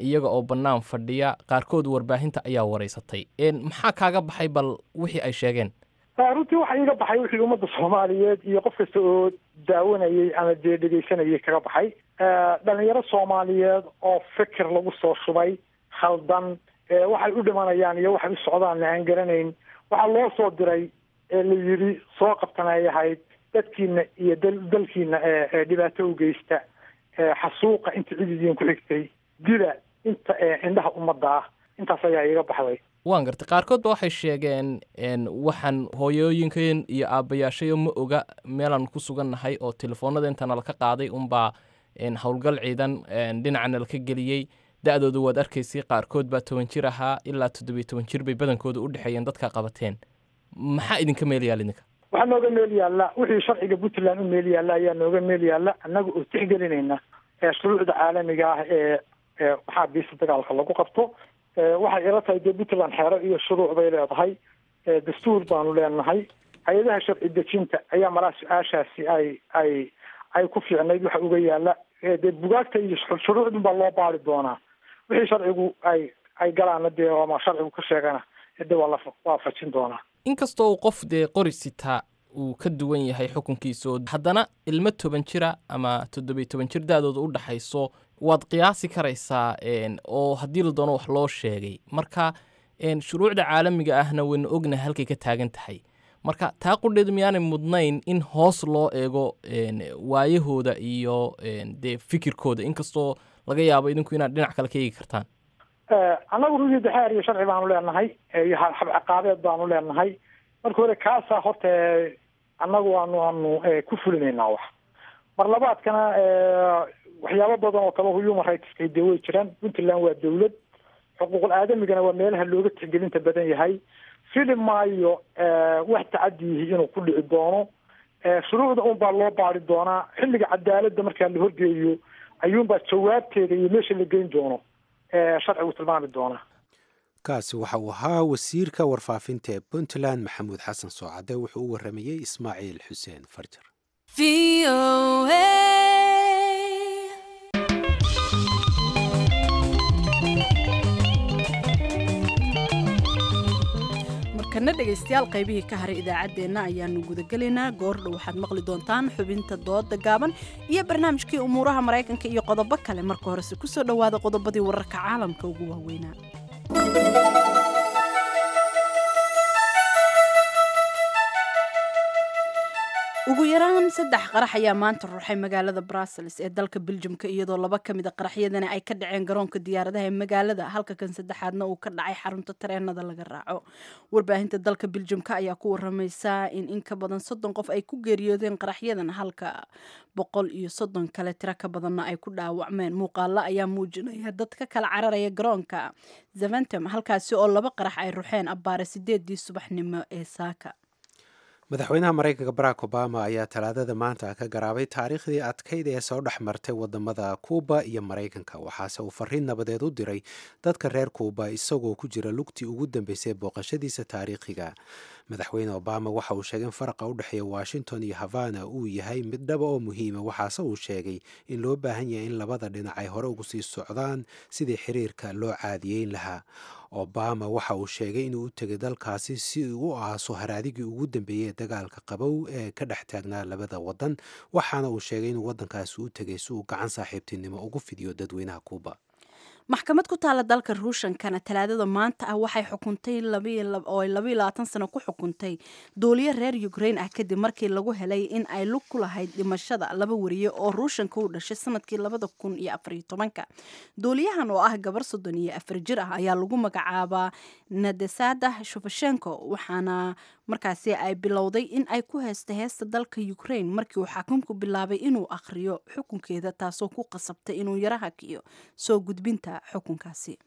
iyaga oo bannaan fadhiya, qaarkood warbaahinta ayaa wareysatay. Maxaa kaaga baxay bal wixii ay sheegeen? Runtii waxa iiga baxay wixii ummadda Soomaaliyeed iyo qof kasta oo daawanayey ama dee dhegeysanayay kaga baxay. Dhalinyaro Soomaaliyeed oo fikir lagu soo shubay khaldan, waxay u dhimanayaan iyo waxay u socdaanna aan garanayn. Waxaa loo soo diray ee la yidhi soo qabtan ay ahayd dadkiina iyo dalkiina ee dhibaato u geysta, xasuuqa inta cididiin ku xigtay, dila inta indhaha ummadda ah. Intaas ayaa iiga baxday. Waan gartay. Qaarkood ba waxay sheegeen waxaan hooyooyinkeen iyo aabbayaashayo ma oga meelaan ku sugannahay oo telefoonada inta nalaka qaaday unbaa howlgal ciidan dhinaca nalaka geliyey. Da-dooda waad arkaysay, qaarkood baa 10 jir ahaa ilaa 17 jir bay badankooda u dhexeeyeen dadka qabateen. Maxaa idinka meel yaal idinka? Waxaa nooga meel yaalla wixii sharciga Puntland u meel yaalla ayaa nooga meel yaalla, annaga oo tixgelinayna shuruucda caalamiga ah ee maxaabiista dagaalka lagu qabto. Waxay ila tahay dee Puntland xeero iyo shuruuc bay leedahay, dastuur baanu leenahay. Hay-adaha sharci dejinta ayaa maraa su-aashaasi ay ku fiicnayd waxa uga yaalla. Dee bugaagta iyo shuruucdun baa loo baari doonaa, wixii sharcigu ay galaana dee ama sharcigu ka sheegana de waa la waafajin doonaa. Inkastoo uu qof dee qori sitaa uu ka duwan yahay xukunkiisa, haddana ilmo 10 jira ama 17 jir da-dooda u dhaxayso waad qiyaasi karaysaa, oo haddii la doono wax loo sheegay. Marka shuruucda caalamiga ahna waynu ognahay halkay ka taagan tahay. Marka taa qudheedu miyaanay mudnayn in hoos loo eego waayahooda iyo dee fikirkooda, inkastoo laga yaabo idinku inaad dhinac kale ka eegi kartaan? Annagu runtii daxeer iyo sharci baanu leenahay iyo habciqaabeed baanu leenahay. Marka hore kaasaa horta annagu aanu ku fulinaynaa wax. Mar labaadkana waxyaabo badan oo kale human rightska dee way jiraan. Puntland waa dawlad, xuquuqul aadamigana waa meelaha looga tixgelinta badan yahay. Fili maayo wax tacadiyihi inuu ku dhici doono. Shuruucda un baa loo baari doonaa xilliga cadaaladda markaa la horgeeyo, ayuunbaa jawaabteeda iyo meesha la geyn doono sharcigu tilmaami doonaa. Kaasi waxa uu ahaa wasiirka warfaafinta ee Puntland, Maxamuud Xasan Soocade. Wuxuu u waramayey Ismaaciil Xuseen Farjar. Markana dhegaystayaal, qaybihii ka haray idaacaddeenna ayaanu gudagelaynaa. Goordhow waxaad maqli doontaan xubinta dooda gaaban iyo barnaamijkii umuuraha Maraykanka iyo qodobo kale. Marka horese kusoo dhowaada qodobadii wararka caalamka ugu waaweynaa. Ugu yaraan saddex qarax ayaa maanta ruuxay magaalada Brussels ee dalka Biljamka, iyadoo laba ka mid a qaraxyadani ay ka dhaceen garoonka diyaaradaha ee magaalada, halka kan saddexaadna uu ka dhacay xarunta tareenada laga raaco. Warbaahinta dalka Biljamka ayaa ku waramaysa in ka badan 30 qof ay ku geeriyoodeen qaraxyadan, halka 130 kale tiro ka badanna ay ku dhaawacmeen. Muuqaalo ayaa muujinaya dad ka kala cararaya garoonka Zaventem, halkaasi oo laba qarax ay ruxeen abbaare 8dii subaxnimo ee saaka. Madaxweynaha Maraykanka Barack Obama ayaa Talaadada maanta ka garaabay taariikhdii adkayd ee soo dhex martay wadamada Kuuba iyo Maraykanka, waxaase uu fariin nabadeed u diray dadka reer Kuuba isagoo ku jira lugtii ugu dambeysay booqashadiisa taariikhiga. Madaxweyne Obama waxa uu sheegay in faraqa u dhexeeya Washington iyo Havana uu yahay mid dhaba oo muhiima, waxaase uu sheegay in loo baahan yahay in labada dhinac ay hore ugu sii socdaan sidii xiriirka loo caadiyeyn lahaa. Obama waxa uu sheegay inuu u tegay dalkaasi si uu u aaso haraadigii ugu dambeeyey ee dagaalka qabow ee ka dhex taagnaa labada wadan, waxaana uu sheegay inuu waddankaasi u tegay si uu gacan saaxiibtinimo ugu fidiyo dadweynaha Kuuba. Maxkamad ku taala dalka Ruushankana Talaadada maanta ah waxay xukuntay oo ay 22 sano ku xukuntay duuliye reer Ukraine ah, kadib markii lagu helay in ay lug ku lahayd dhimashada laba wariye oo Ruushanka u dhashay sanadkii 2014-ka. Duuliyahan oo ah gabar 34 jir ah ayaa lagu magacaabaa Nadesada Shufashenko, waxaana markaasi ay bilowday in ay ku heesta heesta dalka Ukraine markii uu xakumku bilaabay inuu akhriyo xukunkeeda, taasoo ku qasabtay inuu yara hakiyo soo gudbinta xukunkaasi.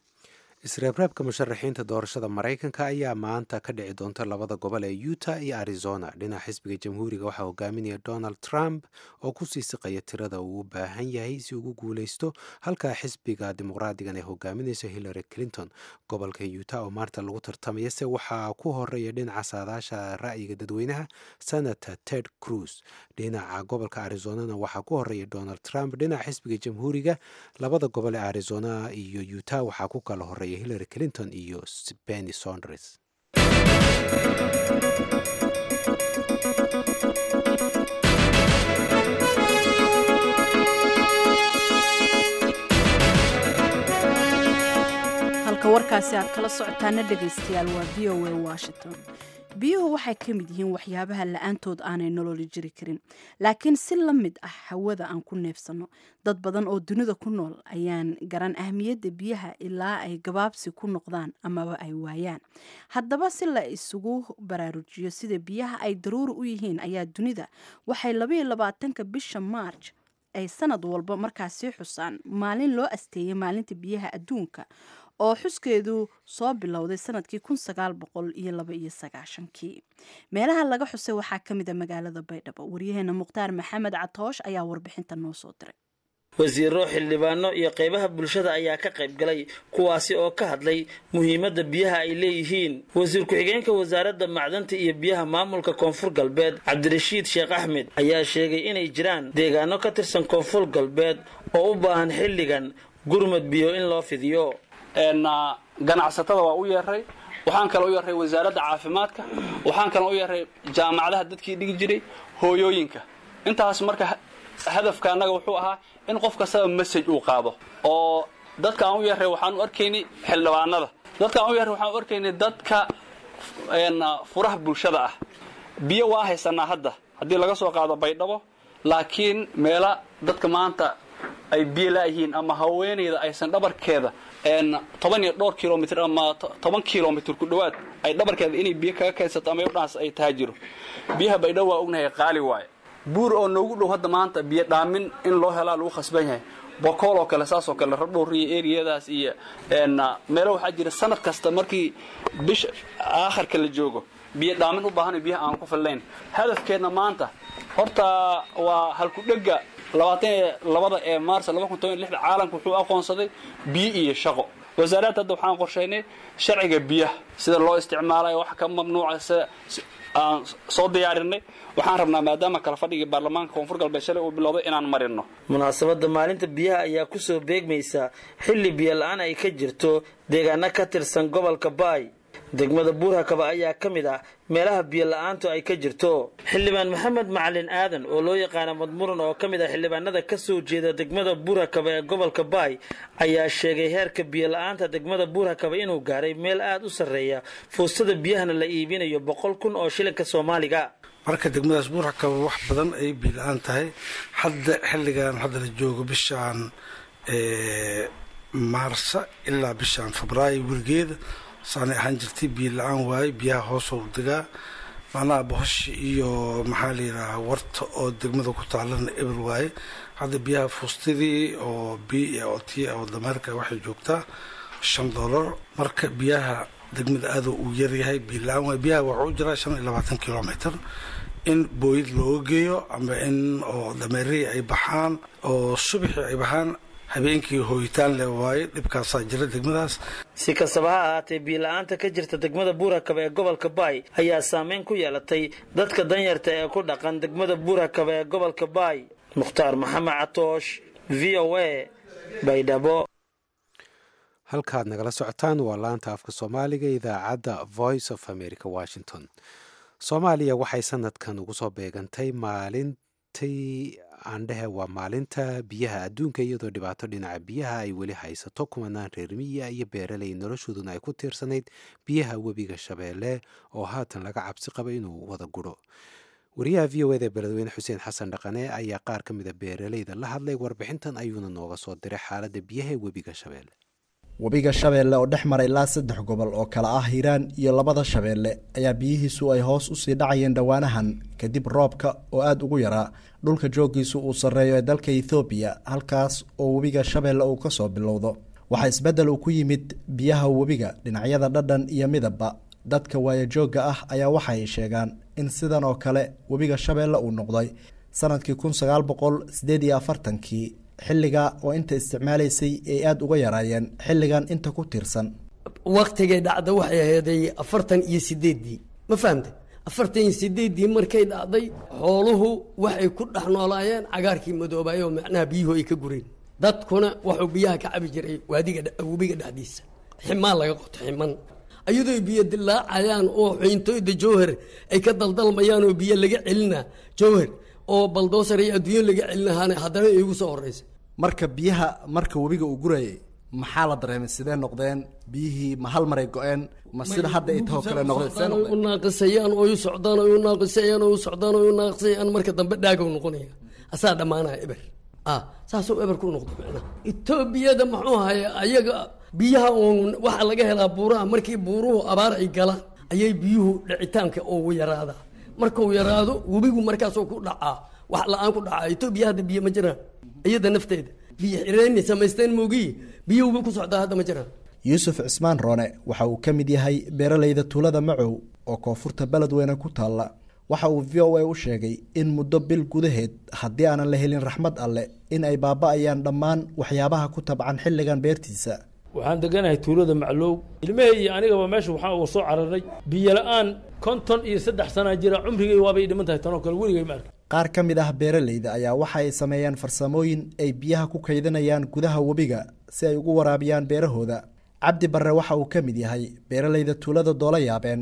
Isreebreebka musharaxiinta doorashada Maraykanka ayaa maanta ka dhici doonta labada gobol ee Utah iyo Arizona. Dhinaca xisbiga Jamhuuriga waxaa hogaaminaya Donald Trump oo kusii siqaya tirada uu u baahan yahay si ugu guuleysto, halka xisbiga Dimuqraadigan ay hogaaminayso Hillary Clinton. Gobolka Utah oo maanta lagu tartamaya se waxaa ku horeeya dhinaca saadaasha ra'yiga dadweynaha Senator Ted Cruz. Dhinaca gobolka Arizonana waxaa ku horeeya Donald Trump. Dhinaca xisbiga Jamhuuriga labada gobol ee Arizona iyo Utah waxaa ku kala horeeya Hillary Clinton iyo Bernie Sanders. Halka warkaasi aad kala socotaana dhegaystayaal waa VOA Washington. Biyuhu waxay ka mid yihiin waxyaabaha la-aantood aanay nololi jiri karin, laakiin si la mid ah hawada aan ku neefsano, dad badan oo dunida ku nool ayaan garan ahmiyadda biyaha ilaa ay gabaabsi ku noqdaan amaba ay waayaan. Haddaba si la isugu baraarujiyo sida biyaha ay daruuri u yihiin ayaa dunida waxay 22-ka bisha Maarj ay sanad walba markaasi xusaan maalin loo asteeyay maalinta biyaha adduunka, oo xuskeedu soo bilowday sanadkii 1992-kii. Meelaha laga xusay waxaa ka mid a magaalada Baydhabo. Waryaheena Mukhtaar Maxamed Catoosh ayaa warbixinta noo soo diray. Wasiiro, xildhibaano iyo qaybaha bulshada ayaa ka qayb galay, kuwaasi oo ka hadlay muhiimadda biyaha ay leeyihiin. Wasiir ku-xigeenka wasaaradda macdanta iyo biyaha maamulka Koonfur Galbeed, Cabdirashiid Sheekh Axmed, ayaa sheegay inay jiraan deegaano ka tirsan Koonfur Galbeed oo u baahan xilligan gurmad biyo in loo fidiyo. Ganacsatada waa u yeeray, Waxaan kaloo u yeeray wasaaradda caafimaadka, waxaan kaloo u yeeray jaamacadaha dadkii dhigi jiray, hooyooyinka. Intaas marka hadafka annaga wuxuu ahaa in qof kastaba message uu qaado. Oo dadka aan u yeeray waxaan u arkaynay xildhibaanada, dadka aan u yeeray waxaan u arkaynay dadka furaha bulshada ah. Biyo waa haysanaa hadda haddii laga soo qaado Baydhabo, laakiin meela dadka maanta ay biyo laayihiin ama haweenayda aysan dhabarkeeda 10 iyo dhowr kilomitr ama 10 kilomitr ku dhowaad ay dhabarkeeda inay biyo kaga kaydsato ama udhaas ay taajiro. Biyaha Baydhabo waa ognahay qaali waaye. Buur oo noogu dhow hadda maanta biyo dhaamin in loo helaa lagu khasban yahay. Bokool oo kale saas oo kale, Rabdhowr iyo eriyadaas iyo meelo waxaa jira sanad kasta markii bisha aakharka la joogo biyo dhaamin u baahan, biyaha aan ku fillayn. Hadafkeenna maanta horta waa halkudhega 22-da ee Maars 2016. Caalamku wuxuu aqoonsaday biyo iyo shaqo. Wasaaradda hadda waxaan qorshaynay sharciga biyaha sida loo isticmaalayo, wax ka mamnuuca sida aan soo diyaarinay. Waxaan rabnaa maadaama kala fadhigii baarlamaanka Koonfur Galbeed shalay uu bilowday inaan marino. Munaasabadda maalinta biyaha ayaa kusoo beegmaysa xilli biyo la-aan ay ka jirto deegaano ka tirsan gobolka Baay. Degmada Buurhakaba ayaa ka mid ah meelaha biyo la-aantu ay ka jirto. Xildhibaan Maxamed Macalin Aadan oo loo yaqaano Madmuran, oo ka mid ah xildhibaanada ka soo jeeda degmada Buurhakaba ee gobolka Baay, ayaa sheegay heerka biyo la-aanta degmada Buurhakaba inuu gaaray meel aada u sarreeya, fuustada biyahana la iibinayo 100,000 oo shilinka Soomaaliga. Marka degmadaas Buurhakaba wax badan ay biyo la-aan tahay hadda xilligan hadda la joogo, bishaan Maarsa ilaa bishaan Febraayo weligeeda saanay ahaan jirtay, biyo la-aan waaye. Biyaha hoosoo degaa, macnaha bohoshi iyo maxaa la yidhahaa warta oo degmada ku taalana eber waaye. Hadda biyaha fuustadii oo b oo t oo dameerka waxay joogtaa $5. Marka biyaha degmada aada uu yaryahay, biyo la-aan waaye. Biyaha waxuu jiraa 25 kilomitr in booyad looga geeyo ama in oo dameerihii ay baxaan oo subaxii ay baxaan, habeenkii hooyitaan le waaye. Dhibkaasaa jira degmadaas. Si kastaba ha ahaatee, biyo la-aanta ka jirta degmada Buurhakaba ee gobolka Baay ayaa saameyn ku yeelatay dadka danyarta ee ku dhaqan degmada Buurhakaba ee gobolka Baay. Mukhtaar Maxamed Catoosh, VOA, Baydhabo. Halkaad nagala socotaan waa laanta afka Soomaaliga, idaacadda Voice of America, Washington. Soomaaliya waxay sanadkan ugu soo beegantay maalintii aandhehe waa maalinta biyaha adduunka, iyadoo dhibaato dhinaca biyaha ay weli haysato kumanaan reer miyiga iyo beeraley noloshooduna ay ku tiirsanayd biyaha webiga Shabeelle oo haatan laga cabsi qaba inuu wada guro. Wariyaha VOA-da Beledweyne Xuseen Xasan Dhaqane ayaa qaar ka mid a beeraleyda la hadlay, warbixintan ayuuna nooga soo diray xaaladda biyaha ee webiga Shabeelle. Webiga Shabeelle oo dhex mara ilaa saddex gobol oo kala ah Hiiraan iyo labada Shabeelle ayaa biyihiisu ay hoos usii dhacayeen dhowaanahan kadib roobka oo aada ugu yaraa dhulka jooggiisu uu sarreeyo ee dalka Ethoobiya, halkaas oo webiga Shabeelle uu kasoo bilowdo. Waxaa isbeddel uu ku yimid biyaha webiga dhinacyada dhadhan iyo midabba. Dadka waayajoogga ah ayaa waxaay sheegaan in sidan oo kale webiga Shabeelle uu noqday sanadkii 1948-kii, xilliga oo inta isticmaalaysay ay aada uga yaraayeen xilligan inta ku tiirsan. Waktigay dhacda waxay aheeday 48-dii, ma fahamtay? 48-dii markay dhacday, xooluhu waxay ku dhex noolaayeen cagaarkii madoobaay oo macnaha biyuhu ay ka gureen. Dadkuna wuxuu biyaha ka cabi jiray waadiga webiga dhexdiisa, ximaan laga qoto, ximan iyadoo biyo dilaacayaan oo xiintoyda Jowhar ay ka daldalmayaan oo biyo laga celina Jowhar oo baldoosar iyo adduunyo laga celinahaana haddana iigu soo horeysa. Marka biyaha marka webiga uu gurayay maxaa la dareemay? Sidee noqdeen biyihii? Ma hal maray go-een ma sida hadda ay taho kale noqdeen? Sidee noqdeen? U naaqisayaan oo u socdaan oo u naaqisayaan oo u socdaan oo u naaqisayaan, marka dambe dhaagow noqonaya, asaa dhammaanaya, eber ah, saasuu eber ku noqdo. Macnaha Etoobiyada muxuu haya ayaga biyaha uun waxaa laga helaa buuraha. Markii buuruhu abaar ay galaan ayay biyuhu dhicitaanka ugu yaraadaa. Markuu yaraado webigu markaasuu ku dhacaa, wax la-aan ku dhacaa. Etoobiya hadda biyo ma jiraan, iyada nafteeda biyo xireenni samaysteen moogiyi, biyo webi ku socdaa hadda ma jiraan. Yuusuf Cismaan Roone waxa uu ka mid yahay beeraleyda tuulada Macow oo koonfurta Beledweyne ku taalla. Waxa uu VOA u sheegay in muddo bil gudaheed haddii aanan la helin raxmad alle in ay baaba-ayaan dhammaan waxyaabaha ku tabcan xilligan beertiisa. Waxaan deganahay tuulada Maclow. Ilmahey iyo anigaba meesha waxaan uga soo cararnay biyo la-aan. 53 sanaa jira, cumrigay waabay dhiman tahay, tanoo kale weligay ma arkin. Qaar ka mid ah beeraleyda ayaa waxa ay sameeyaan farsamooyin ay biyaha ku kaydinayaan gudaha webiga si ay ugu waraabiyaan beerahooda. Cabdi Barre waxa uu ka mid yahay beeralayda tuulada Doola Yaabeen.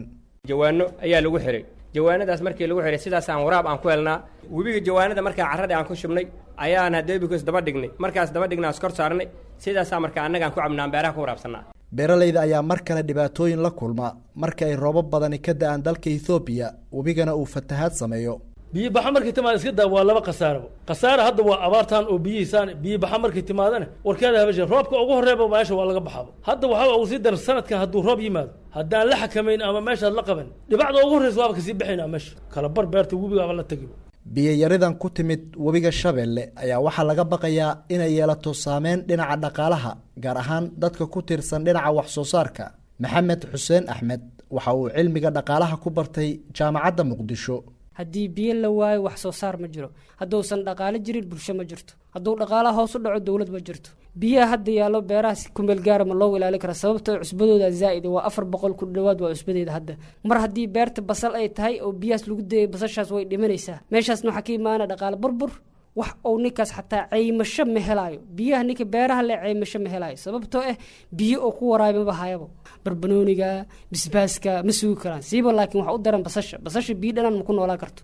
Jawaano ayaa lagu xiray. Jawaanadaas markii lagu xiray, sidaasaan waraab aan ku helnaa. Webiga jawaanada markaa carradii aan ku shubnay ayaan hadeebikos daba dhignay. Markaas daba dhignaa, iskor saarnay, sidaasaa marka annagaan ku cabnaan, beeraha ku waraabsanaa. Beeralayda ayaa mar kale dhibaatooyin la kulma marka ay roobab badani ka da'aan dalka Ethoobiya, webigana uu fatahaad sameeyo. Biyo baxa markay timaada iska daa, waa laba khasaaraba. Khasaara hadda waa abaartan oo biyihiisaan. Biyo baxa markay timaadana warkeeda habashe, roobka ugu horreeba meesha waa laga baxaaba. Hadda waxaa ugu sii daran sanadkan hadduu roob yimaado, haddaan la xakamayn ama meeshaad la qaban, dhibacda ugu horreysa waaba kasii baxaynaa, meesha kala bar beerta webigaaba la tagiba. Biyo-yaridan ku timid webiga Shabeelle ayaa waxaa laga baqayaa inay yeelato saameyn dhinaca dhaqaalaha, gaar ahaan dadka ku tiirsan dhinaca wax soo saarka. Maxamed Xuseen Axmed waxa uu cilmiga dhaqaalaha ku bartay Jaamacadda Muqdisho. Haddii biyo la waayo, wax soo saar ma jiro. Hadduusan dhaqaalo jirin, bulsho ma jirto. Hadduu dhaqaalaha hoos u dhaco, dowlad ma jirto. Biyaha hadda yaallo beeraha si kumeel gaara ma loo ilaalin kara, sababtoo cusbadooda zaa'id waa, 400 ku dhowaad waa cusbadeeda hadda. Mar haddii beerta basal ay tahay oo biyahaas lagu dayay, basashaas way dhimanaysaa. Meeshaasna waxaa ka imaana dhaqaale burbur. Wax uu ninkaas xataa caymasho ma helaayo. Biyaha ninka beeraha le caymasho ma helaayo, sababtoo ah biyo oo ku waraayo maba hayabo. Barbanooniga, bisbaaska ma sugi karaan siiba, laakiin waxa u daran basasha. Basasha biyo dhanaan ma ku noolaan karto.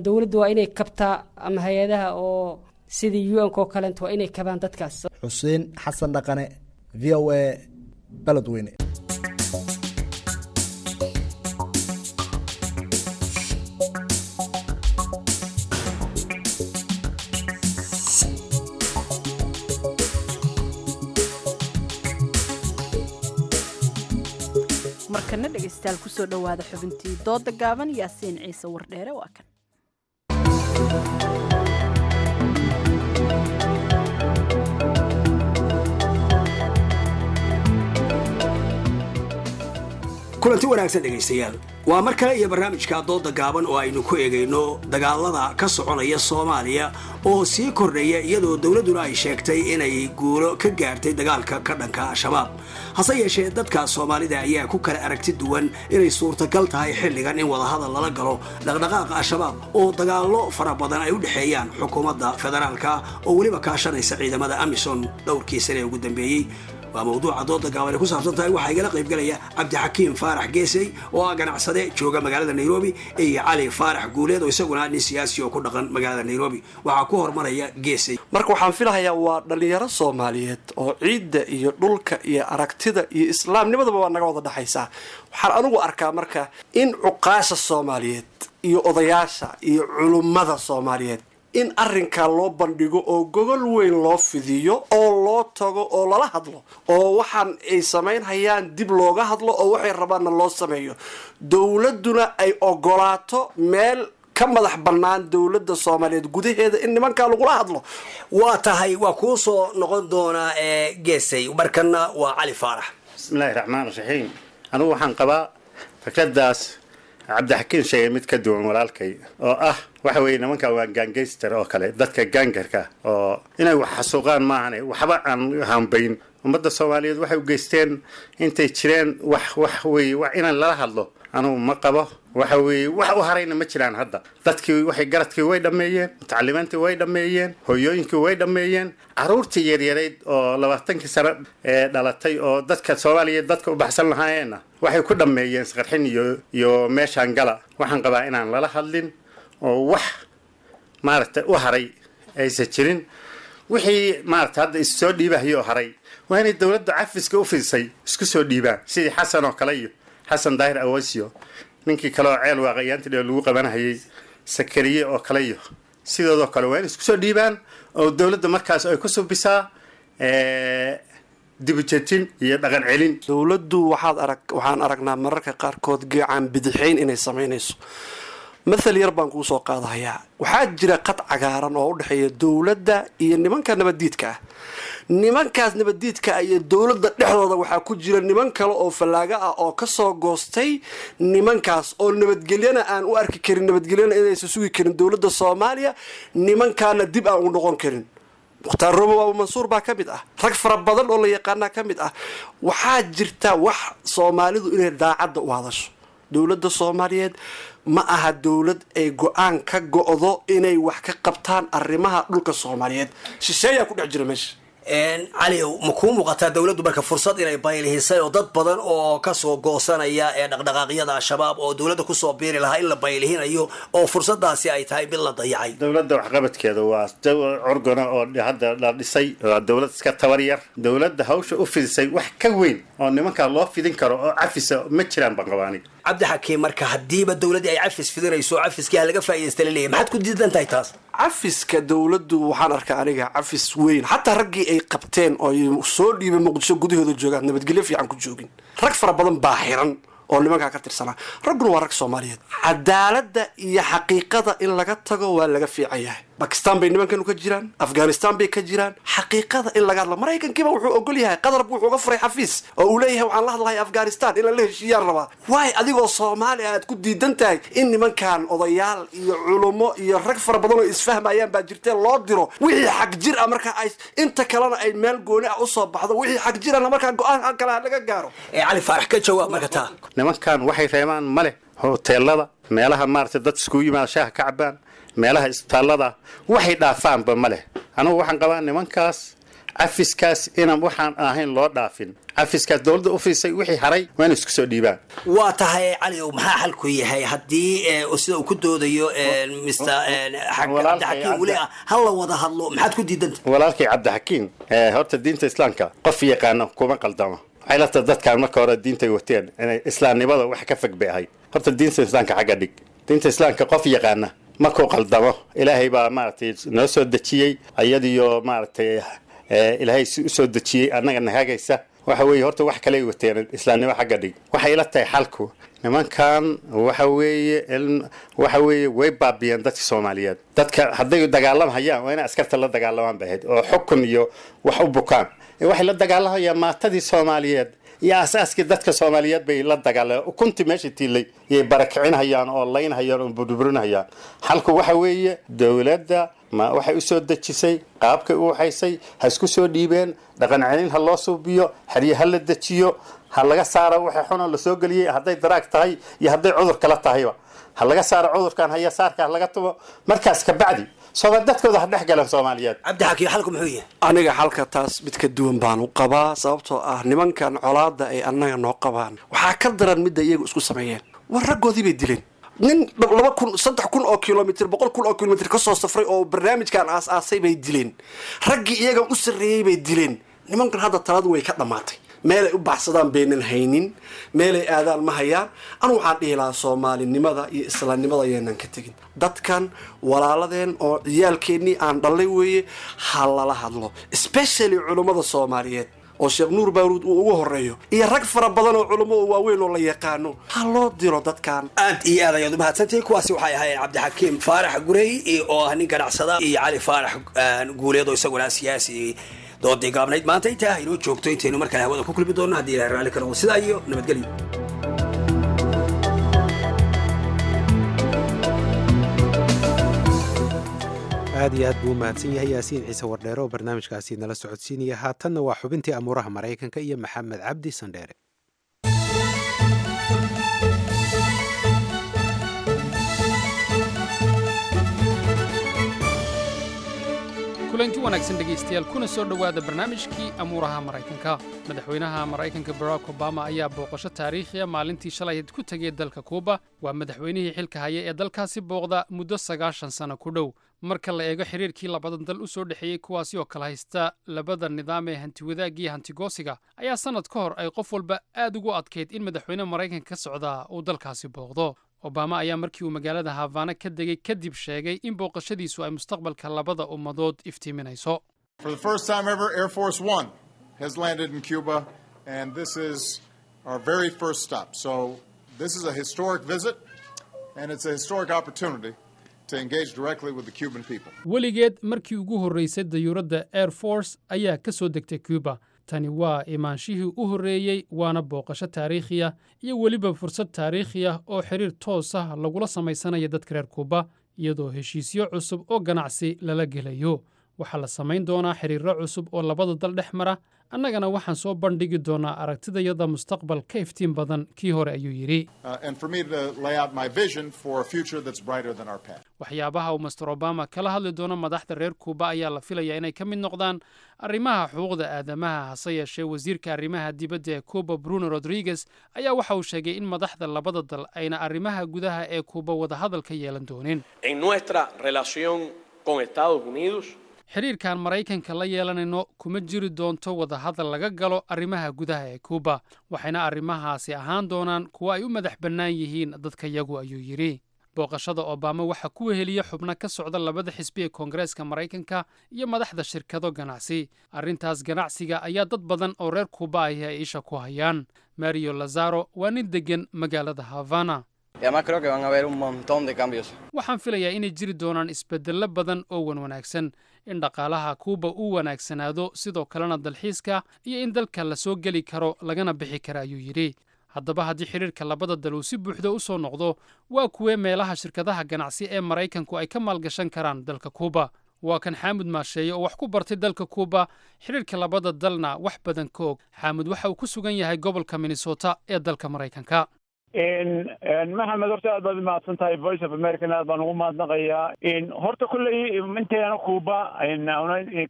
Dowladda waa inay kabtaa ama hay-adaha oo sidii UN-ka oo kaleento waa inay kabaan dadkaas. Xuseen Xasan Dhaqane, VOA, Beledweyne. Markana dhegaystayaal, kusoo dhowaada xubintii dooda gaaban. Yaasiin Ciise Wardheere waa kan. Kulanti wanaagsan dhegaystayaal, waa mar kale iyo barnaamijka dooda gaaban oo aynu ku eegayno dagaalada ka soconaya Soomaaliya oo sii kordhaya, iyadoo dowladduna ay sheegtay inay guulo ka gaartay dagaalka ka dhanka Al-Shabaab. Hase yeeshee, dadka Soomaalida ayaa ku kala aragti duwan inay suurtagal tahay xilligan in wadahadal lala galo dhaqdhaqaaqa Al-Shabaab, oo dagaallo fara badan ay u dhexeeyaan xukuumadda federaalka oo weliba kaashanaysa ciidamada AMISOM dhowrkii sane ee ugu dambeeyey. Waa mawduuca dooda gaaban ay ku saabsan tahay. Waxaa igala qaybgalaya Cabdixakiim Faarax Geesey oo ah ganacsade jooga magaalada Nairobi iyo Cali Faarax Guuleed oo isaguna nin siyaasi oo ku dhaqan magaalada Nairobi. Waxaa ku hormaraya Geesey. Marka waxaan filahayaa waa dhallinyaro Soomaaliyeed oo ciidda iyo dhulka iyo aragtida iyo islaamnimadaba waa naga wada dhexaysaa. Waxaan anugu arkaa marka in cuqaasha Soomaaliyeed iyo odayaasha iyo culummada Soomaaliyeed in arrinkaa loo bandhigo oo gogol weyn loo fidiyo oo loo tago oo lala hadlo, oo waxaan ay samaynhayaan dib looga hadlo, oo waxay rabaanna loo sameeyo, dowladduna ay ogolaato meel ka madax bannaan dowladda Soomaaliyeed gudaheeda in nimankaa lagula hadlo. Waa tahay, waa kuu soo noqon doonaa Geesay. Markana waa Cali Faarax. Bismillahi raxmaan raxiim. Anigu waxaan qabaa fikradaas Cabdixakiin sheegay mid ka duwan walaalkay, oo ah waxa weeye nimanka waa gangster oo kale, dadka gangarka oo inay wax xasuuqaan maahane waxba aan hambayn. Ummadda Soomaaliyeed waxay u geysteen intay jireen wax weeye wax inaan lala hadlo anugu ma qabo. Waxa weeye wax u harayna ma jiraan hadda. Dadkii waxay garadkii way dhammeeyeen, mutacalimiintii way dhammeeyeen, hooyooyinkii way dhammeeyeen, caruurtii yaryarayd oo 20kii sano ee dhalatay oo dadka Soomaaliyeed dadka u baxsan lahaayeenna waxay ku dhammeeyeen isqarxin iyo meeshaan gala. Waxaan qabaa inaan lala hadlin oo wax maaragtay u haray aysan jirin. Wixii maaragtay hadda is soo dhiibahayo oo haray waa inay dowladda cafiska u fidisay isku soo dhiibaan, sidii Xasan oo kale iyo Xasan Daahir Awasio, ninkii kale oo ceel waaqayaantii dheer lagu qabanahayay, Sakariye oo kale iyo sidoodoo kale, waa inay isku soo dhiibaan oo dowladda markaas ay ku subisaa dibujejin iyo dhaqan celin. Dowladdu waxaan aragnaa mararka qaarkood geecaan bidixayn inay samaynayso. Mathal yar baan kuu soo qaadahayaa. Waxaa jira qad cagaaran oo u dhexeeya dowladda iyo nimanka nabaddiidka ah. Nimankaas nabaddiidka ah iyo dowladda dhexdooda waxaa ku jira niman kale oo fallaaga ah oo kasoo goostay nimankaas, oo nabadgelyana aan u arki karin, nabadgelyana inaysan sugi karin dowladda Soomaaliya, nimankaana dib aan u noqon karin. Mukhtaar Robo Abu Mansuur baa ka mid ah, rag fara badan oo la yaqaanaa ka mid ah. Waxaa jirta wax Soomaalidu inay daacadda u hadasho. Dowladda Soomaaliyeed ma aha dowlad ay go-aan ka go'do inay wax ka qabtaan arrimaha dhulka Soomaaliyeed. Shisheeyaa ku dhex jira meesha. Cali, ma kuu muuqataa dowladdu marka fursad inay baylihisay oo dad badan oo kasoo goosanaya ee dhaqdhaqaaqyada Al-Shabaab oo dowladda kusoo biiri lahaa in la baylihinayo oo fursadaasi ay tahay mid la dayacay? Dowladda waxqabadkeeda waa curgana oo hadda la dhisay, waa dowlad iska tabar yar. Dowladda hawsha u fidisay wax ka weyn oo nimankaa loo fidin karo oo cafisa ma jiraan baan qabaa aniga. Cabdixakiim, marka haddiiba dowladdii ay cafis fidinayso, cafiskii ha laga faa'iidaysta laleeyahay, maxaad ku diidan tahay taas? Cafiska dowladdu waxaan arkaa aniga cafis weyn, xataa raggii ay qabteen oo ay soo dhiibay Muqdisho gudahooda joogaan nabadgelyo fiican ku joogin. Rag fara badan baa xiran oo nimankaa ka tirsanaa, ragguna waa rag Soomaaliyeed. Cadaaladda iyo xaqiiqada in laga tago waa laga fiican yahay. Bakistan bay nimankanu ka jiraan, Afghanistan bay ka jiraan. Xaqiiqada in laga hadla, Maraykankiiba wuxuu ogol yahay, Qatar buu wuxuu uga furay xafiis oo uu leeyahay waxaan la hadlahay Afghanistan inaan la heshiiyaan rabaa. Waay adigoo Soomaali aad ku diidan tahay in nimankan odayaal iyo culummo iyo rag fara badan oo isfahmayaan baa jirtee loo diro wixii xag jir ah, marka ay inta kalena ay meel gooni ah usoo baxdo, wixii xag jirana markaa go-aan kale laga gaaro? Cali Faarax, ka jawaab marka taa. Nimankan waxay reebaan ma leh. Hoteelada, meelaha maaragtay dad iskugu yimaada shaaha ka cabaan, meelaha isbitaallada, waxay dhaafaanba ma leh. Anugu waxaan qabaa nimankaas cafiskaas inaan waxaan ahayn loo dhaafin. Cafiskaas dowladda u fiisay, wixii haray waa inay isku soo dhiibaan. Waa tahay. Cali, maxaa xalku yahay haddii sida uu ku doodayo Mr Cabdixakiim weli ah ha la wada hadlo? Maxaad ku diidanta? Walaalkay Cabdixakiim, horta diinta Islaamka qof yaqaano kuma qaldamo. Waxay la tahay dadkaan marka hore diintay wateen inay islaamnimada wax ka fog bay ahayd. Horta diinta Islaamka xagga dhig. Diinta Islaamka qof yaqaana markuu qaldamo, Ilaahay baa maaragtay noo soo dejiyey iyadiyo maaragtay Ilaahay si usoo dejiyey annaga nahagaysa. Waxa weeye horta wax kaley wateen, islaamnimo xagga dhig. Waxay ila tahay xalku nimankan waxa weeye, waxa weeye way baabiyeen dadka Soomaaliyeed. Dadka hadday dagaalamhayaan waa inay askarta la dagaalamaan bay ahayd oo xukun iyo wax u bukaan. Waxay la dagaalamayaan maatadii Soomaaliyeed iyo aasaaskii dadka Soomaaliyeed bay la dagaalameen. Ukuntii meesha tiilay yay barakicinhayaan oo laynhayaan oo burburinhayaan. Xalku waxa weeye dowladda ma waxay usoo dejisay qaabkay u waxaysay ha isku soo dhiibeen, dhaqan celin ha loo suubiyo, xerye ha la dejiyo, ha laga saaro waxa xunoo lasoo geliyey, hadday daraag tahay iyo hadday cudur kala tahayba ha laga saaro. Cudurkan haya saarka ha laga tubo. Markaas kabacdi sooma dadkooda ha dhex galeen Soomaaliyeed. Cabdixakiim, xalku muxuu yahay? Aniga xalka taas mid ka duwan baan u qabaa, sababtoo ah nimankan colaadda ay annaga noo qabaan waxaa ka daran midda iyagu isku sameeyeen. War raggoodii bay dileen. Nin 2000, 3000 oo kilomitr, 100,000 oo kilomitr kasoo safray oo barnaamijkan aas-aasay bay dileen. Raggii iyaga u sarreeyey bay dileen. Nimankan hadda taladu way ka dhammaatay, meelay u baxsadaan baynan haynin, meelay aadaan ma hayaan. Anu waxaan dhihi lahaa soomaalinimada iyo islaamnimada yaynan ka tegin. Dadkan walaaladeen oo ciyaalkeennii aan dhallay weeye, ha lala hadlo, especially culummada Soomaaliyeed oo Sheekh Nuur Baaruud uu ugu horeeyo iyo rag fara badan oo culummo oo waaweyn oo la yaqaano, ha loo diro dadkan. Aad iyo aad ayaad umahadsantihiin. Kuwaasi waxay ahaayeen Cabdixakiim Faarax Gurey oo ah nin ganacsada iyo Cali Faarax Guuleed oo isaguna siyaasi. Doodii gaabnayd maanta intaa inoo joogto. Intaynu markale hawada ku kulmi doonno haddii Ilahay raalli ka noqdo, sidaa iyo nabadgelyo. Aad iyo aad buu u mahadsan yahay Yaasiin Ciise Wardheere oo barnaamijkaasi nala socodsiinaya. Haatanna waa xubintii amuuraha Maraykanka iyo Maxamed Cabdi Sandheere. Kulanti wanaagsan dhegaystayaal, kuna soo dhowaada barnaamijkii amuuraha Maraykanka. Madaxweynaha Maraykanka Barack Obama ayaa booqasho taariikhiya maalintii shalay ku tegay dalka Kuuba. Waa madaxweynihii xilka haya ee dalkaasi booqda muddo 90 sano ku dhow, marka la eego xiriirkii labadan dal u soo dhexeeyey, kuwaasi oo kala haysta labada nidaam ee hantiwadaagga iyo hantigoosiga, ayaa sannad ka hor ay qof walba aad ugu adkayd in madaxweyne Maraykanka ka socdaa uu dalkaasi booqdo. Obama ayaa markii uu magaalada Havana ka degay kadib sheegay in booqashadiisu ay mustaqbalka labada ummadood iftiiminayso. For the first time ever, Air Force One has landed in Cuba, and this is our very first stop. So this is a historic visit, and it's a historic opportunity to engage directly with the Cuban people. Weligeed markii ugu horreysay dayuuradda Air Force ayaa ka soo degtay Cuba. Tani waa imaanshihii u horreeyey, waana booqasho taariikhi ah iyo weliba fursad taariikhi ah oo xiriir toos ah lagula samaysanaya dadka reer Kuuba, iyadoo heshiisyo cusub oo ganacsi lala gelayo. Waxaa la samayn doonaa xiriirro cusub oo labada dal dhex mara. Annagana waxaan soo bandhigi doonaa aragtidayada mustaqbal ka iftiin badan kii hore, ayuu yidhi. And for me to lay out my vision for a future that's brighter than our past. Waxyaabaha uu Mister Obama kala hadli doono madaxda reer Kuuba ayaa la filayaa inay ka mid noqdaan arrimaha xuquuqda aadamaha. Hase yeeshee, wasiirka arrimaha dibadda ee Kuuba, Bruno Rodriguez, ayaa waxa uu sheegay in madaxda labada dal ayna arrimaha gudaha ee Kuuba wadahadal ka yeelan doonin. En nuestra relación con Estados Unidos, Xidhiirkan Maraykanka la yeelanayno kuma jiri doonto wadahadal laga galo arrimaha gudaha ee Kuuba, waxayna arrimahaasi ahaan doonaan kuwo ay u madax bannaan yihiin dadkayagu, ayuu yidhi. Booqashada Obama waxaa ku weheliya xubno ka socda labada xisbi ee Koongareeska Maraykanka iyo madaxda shirkado ganacsi. Arrintaas ganacsiga ayaa dad badan oo reer Kuuba ahi ay isha ku hayaan. Mario Lazaro waa nin deggan magaalada Havana. Y además creo que van a haber un montón de cambios. Waxaan filayaa inay jiri doonaan isbeddello badan oo wanwanaagsan, in dhaqaalaha Kuuba uu wanaagsanaado, sidoo kalena dalxiiska iyo in dalka la soo geli karo lagana bixi kara, ayuu yidhi. Haddaba, haddii xidhiirka labada dal uu si buuxda u soo noqdo, waa kuwee meelaha shirkadaha ganacsi ee Maraykanku ay ka maalgashan karaan dalka Kuuba? Waa kan Xaamud Maasheeye oo wax ku bartay dalka Kuuba, xidhiirka labada dalna wax badan ka og. Xaamud waxa uu ku sugan yahay gobolka Minnesota ee dalka Maraykanka. Maxamed, horta aad baad umahadsan tahay. Voice of American aad baan ugu mahadnaqayaa. Horta kolley intayna Cuba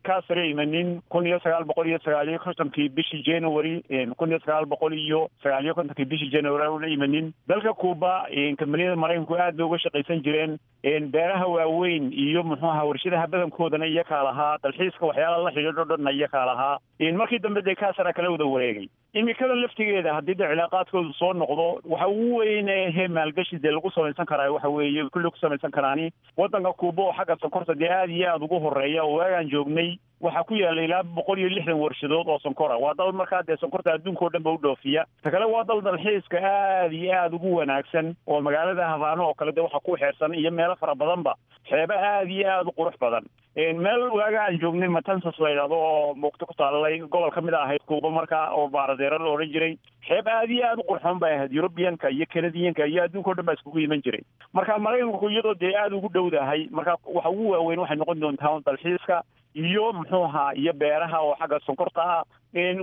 Castro imanin 1959-kii bishii January, 1959-kii bishii January una imanin dalka Cuba, kambaniyada Maraykanku aad bay uga shaqaysan jireen. Beeraha waaweyn iyo muxuu ahaa warshadaha badankoodana iyakaa lahaa, dalxiiska waxyaalaha la xidhiidho dhanna iyakaa lahaa. Markii dambe dee Castro kala wada wareegay. Imikadan laftigeeda haddii de cilaaqaadkoodu soo noqdo, waxa ugu weyn ee maalgashi dee lagu samaysan karaa waxa weeye kulli ku samaysan karaani waddanka Kuuba oo xagga sonkorta dee aad iyo aada ugu horeeya, oo waagaan joognay waxaa ku yaala ilaa 160 warshadood oo sonkora. Waa dal markaa dee sonkorta adduunka oo dhan ba u dhoofiya. Ta kale, waa dal dalxiiska aad iyo aada ugu wanaagsan, oo magaalada Habaano oo kale de waxaa ku xeersan iyo meelo fara badanba xeebo aad iyo aada u qurux badan. Meel waaga aan joognay Matanzas la yidhahdo oo muugto ku taalalay gobol ka mid a ahayd Kuuba markaa oo Baaradeero la odhan jiray, xeeb aad iyo aada u qurxoon bay ahayd. European-ka iyo Canadian-ka iyo adduunka o dhan baa iskugu iman jiray. Marka Maraykanku iyadoo dee aada ugu dhowdahay, marka waxa ugu waaweyn waxay noqon doontaa dalxiiska iyo muxuu ahaa iyo beeraha oo xagga sonkorta ah.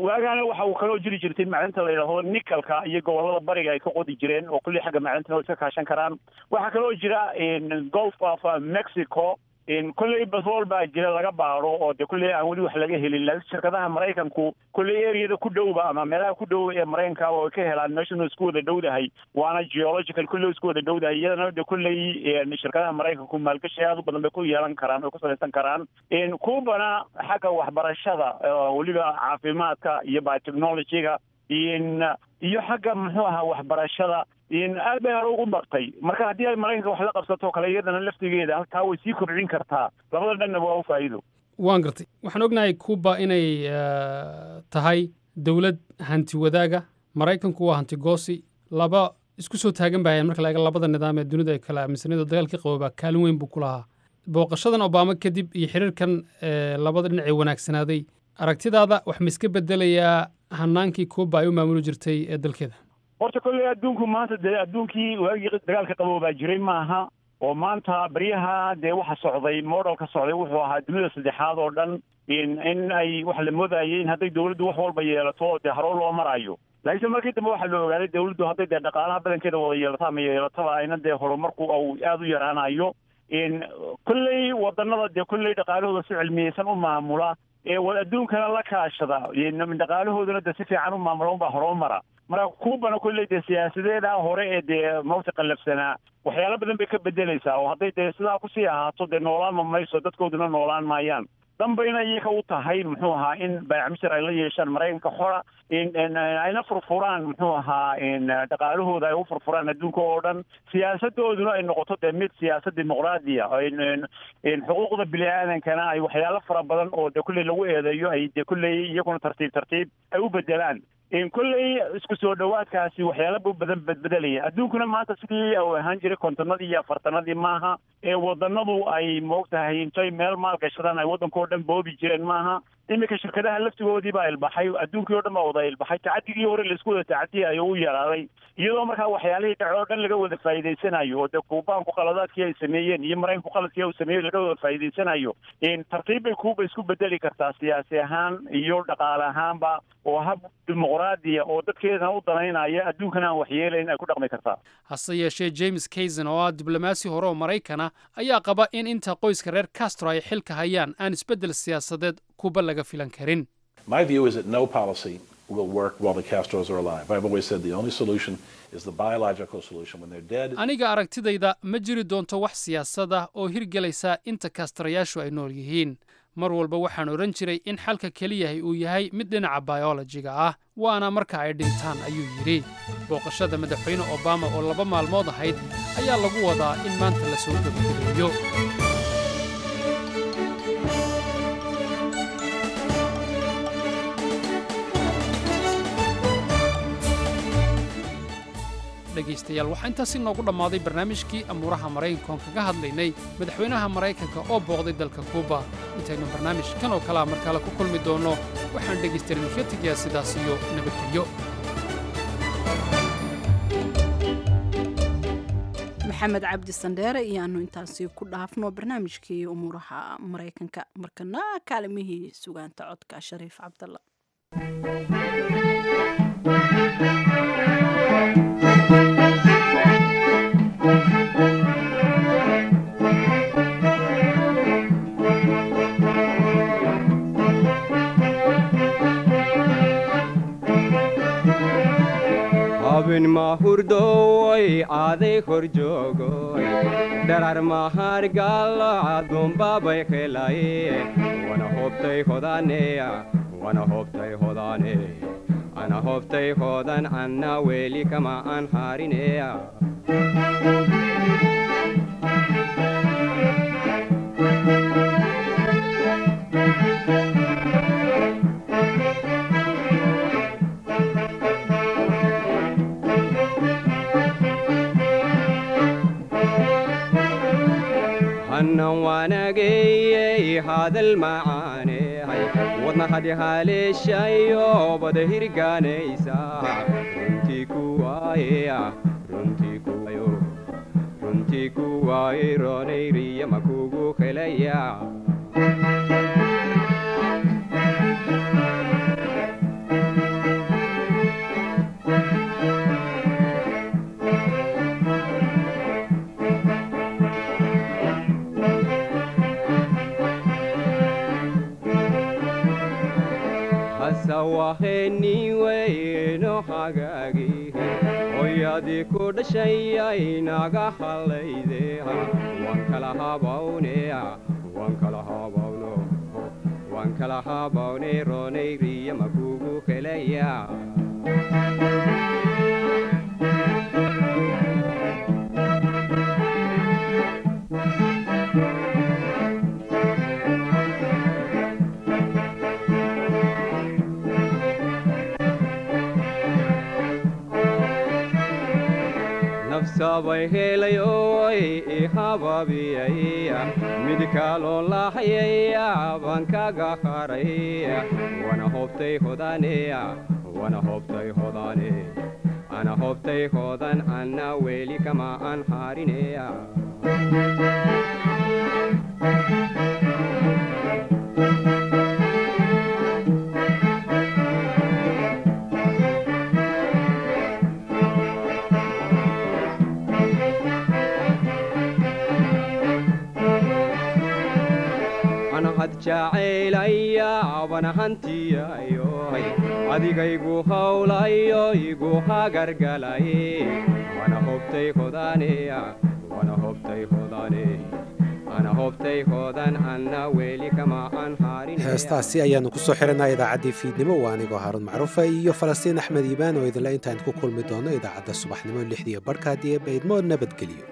Waagaana waxa uu kaloo jiri jirtay macdanta la yidhaahdo nickel-ka iyo gobolada bariga ay ka qodi jireen, oo kulli xagga macdantana way iska kaashan karaan. Waxaa kaloo jira Gulf of Mexico, kolley batrool baa jira laga baaro oo dee kolley aan weli wax laga helin, laakiin shirkadaha Maraykanku kolley area-da ku dhowba ama meelaha ku dhow ee Maraykanka oo ay ka helaan. Meeshuna isku wada dhowdahay, waana geological kolley isku wada dhowdahay. Iyadana de kolley shirkadaha Maraykanku maalgashi aad u badan bay ku yeelan karaan oo ku samaysan karaan. Kuubana xagga waxbarashada, weliba caafimaadka iyo biotechnology-ga iyo xagga muxuu ahaa waxbarashada aad bay hore ugu bartay. Marka haddii ay Maraykanka wax la qabsato kale, iyadana laftigeeda halkaa way sii kobcin kartaa. Labada dhanna waa u faa'iido. Waan gartay. Waxaan ognahay Cuba inay tahay dowlad hanti wadaaga. Maraykanku waa hanti goosi. Laba isku soo taagan bahayan marka la eego labada nidaam ee dunida ay kala aaminsaneed oo dagaalkii qaboobaa kaalin weyn buu ku lahaa. Booqashadan Obama kadib iyo xiriirkan labada dhinac ee wanaagsanaaday, aragtidaada wax ma iska bedelayaa hanaankii Cuba ay u maamuli jirtay ee dalkeeda? Horta kolley adduunku maanta dee adduunkii waagii dagaalka qaboobaa jiray maaha, oo maanta baryaha dee waxa socday, model-ka socday wuxuu ahaa dunida saddexaad oo dhan in ay waxa la moodayay in hadday dawladdu wax walba yeelato dee haroo loo marayo. Laakiinse markii dambe waxaa la ogaaday dawladdu hadday dee dhaqaalaha badankeeda wada yeelato ama yeelataba ayna dee horumarku au aada u yaraanayo. Kolley wadanada dee kolley dhaqaalahooda si cilmiyeysan u maamula ee adduunkana la kaashada, dhaqaalahooduna dee si fiican u maamula unbaa hore u mara. Marka Kuubana kolley dee siyaasadeeda hore ee dee mawti qallafsanaa waxyaalo badan bay ka bedelaysaa, oo hadday dee sidaa kusii ahaato dee noolaanma mayso, dadkooduna noolaan maayaan. Danbayna iyaga u tahay muxuu ahaa in baayacmishar ay la yeeshaan Maraykanka xora, ayna furfuraan muxuu ahaa dhaqaalahooda ay u furfuraan adduunka oo dhan, siyaasadooduna ay noqoto dee mid siyaasad dimuqraadiya, xuquuqda bini aadankana ay waxyaalo fara badan oo dee kulley lagu eedeeyo ay dee kulley iyaguna tartiib tartiib ay u bedelaan. Kolley isku soo dhowaadkaasi waxyaalo bu badan bedbedelaya. Adduunkuna maanta sidii uu ahaan jiray 50-adii iyo 40-adii maaha ee wadanadu ay moogtahay intay meel maalgashadaan ay waddanka oo dhan boobi jireen maaha. Iminka shirkadaha laftigoodii baa ilbaxay, adduunkii oo dhan baa wada ilbaxay, tacadigii hore laisku wada tacadiyayo u yaraaday, iyadoo markaa waxyaalihii dhace oo dhan laga wada faa'iidaysanayo, oo dee Kuubaanku qaladaadkii ay sameeyeen iyo Maraykanku qaladkii uu sameeyey laga wada faa'iidaysanayo. Tartiib bay Kuuba isku bedeli kartaa siyaasi ahaan iyo dhaqaale ahaanba, oo hab dimuqraadiya oo dadkeedana u danaynaya, adduunkana aan waxyeelayn ay ku dhaqmi kartaa. Hase yeeshee, James Kaysen oo ah diblomaasi hore oo Maraykana ayaa qaba in inta qoyska reer Castro ay xilka hayaan aan isbeddel siyaasadeed Kuba laga filan karin. My view is that no policy will work while the Castros are alive. I've always said the only solution is the biological solution. When they're dead, Aniga aragtidayda, ma jiri doonto wax siyaasad ah oo hirgelaysa inta Kastrayaashu ay nool yihiin. Mar walba waxaan odhan jiray in xalka keliyahay uu yahay mid dhinaca bayolojiga ah, waana marka ay dhintaan, ayuu yidhi. Booqashada Madaxweyne Obama oo 2 maalmood ahayd ayaa lagu wadaa in maanta la soo gebagabeeyo. Dhegaystayaal, waxaa intaasi noogu dhammaaday barnaamijkii amuuraha Maraykanka oon kaga hadlaynay madaxweynaha Maraykanka oo booqday dalka Kuuba. Intaynu barnaamijkan oo kalea mar kale ku kulmi doonno, waxaan dhegaystayaal idinkaga tegayaa sidaas iyo nabadgelyo. Maxamed Cabdi Sandheere iyoaanu intaasi ku dhaafno barnaamijkii umuuraha Maraykanka. Markana kaalimihii sugaanta, codka Shariif Cabdalla. Habin mahurdoy aaday hor joogoy, dharar mahargal adumbabay helaye, wana hobtay hodaneya, wana hobtay hodane, ana hobtay hodan, anna weli kama aan harineya. Hannan waanageyey hadal macaaney, wadna hadihaleeshayo bada hirgaanaysa, runtii kuwaayeya, runtii kuwayo, runtii kuwaaye, roonayriya makugu helaya. Hasawaheniweyno hagaagi, hoyadii ku dhashayay naga hallayde, waan kala habawneya, waan kala habawno, waan kala habawne, roonayriya makugu helaya. Nafsabay helayoy ihababiyay, mid kaloo lahayaya baan kaga haray, wana hobtay hodaneya, wana hobtay hodane, ana hobtay hodan, anna weli kama aan harineya. Anahad jacaylaya wana hantiyayo, adigaygu hawlayo igu hagargalay, wana hobtay hodaneya, wana hobtay hodane, ana hobtay hodan, anna weli kama aan harin. Heestaasi ayaanu kusoo xiranaa idaacaddii fiidnimo. Waa anigoo Haaruun Macruufa iyo Falastiin Axmed Iibaan oo idinle intaan ku kulmi doono idaacadda subaxnimo 6:30 haddii ee baydmo, nabadgeliyo.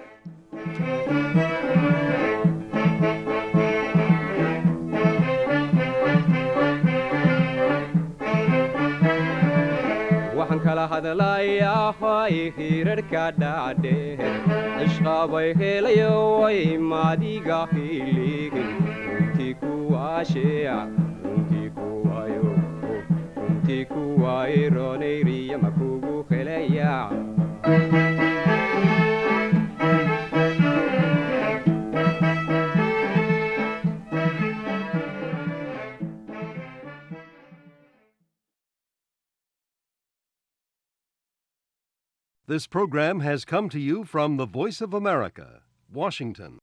Waxaan kala hadlayaa hoy hirarka dhaadheer, cishqabay helayo way maadiga hiligin, runtii kuwaasheya, runtii. Runtii kuwa iroonayriya ma kugu helaya. This program has come to you from the Voice of America, Washington.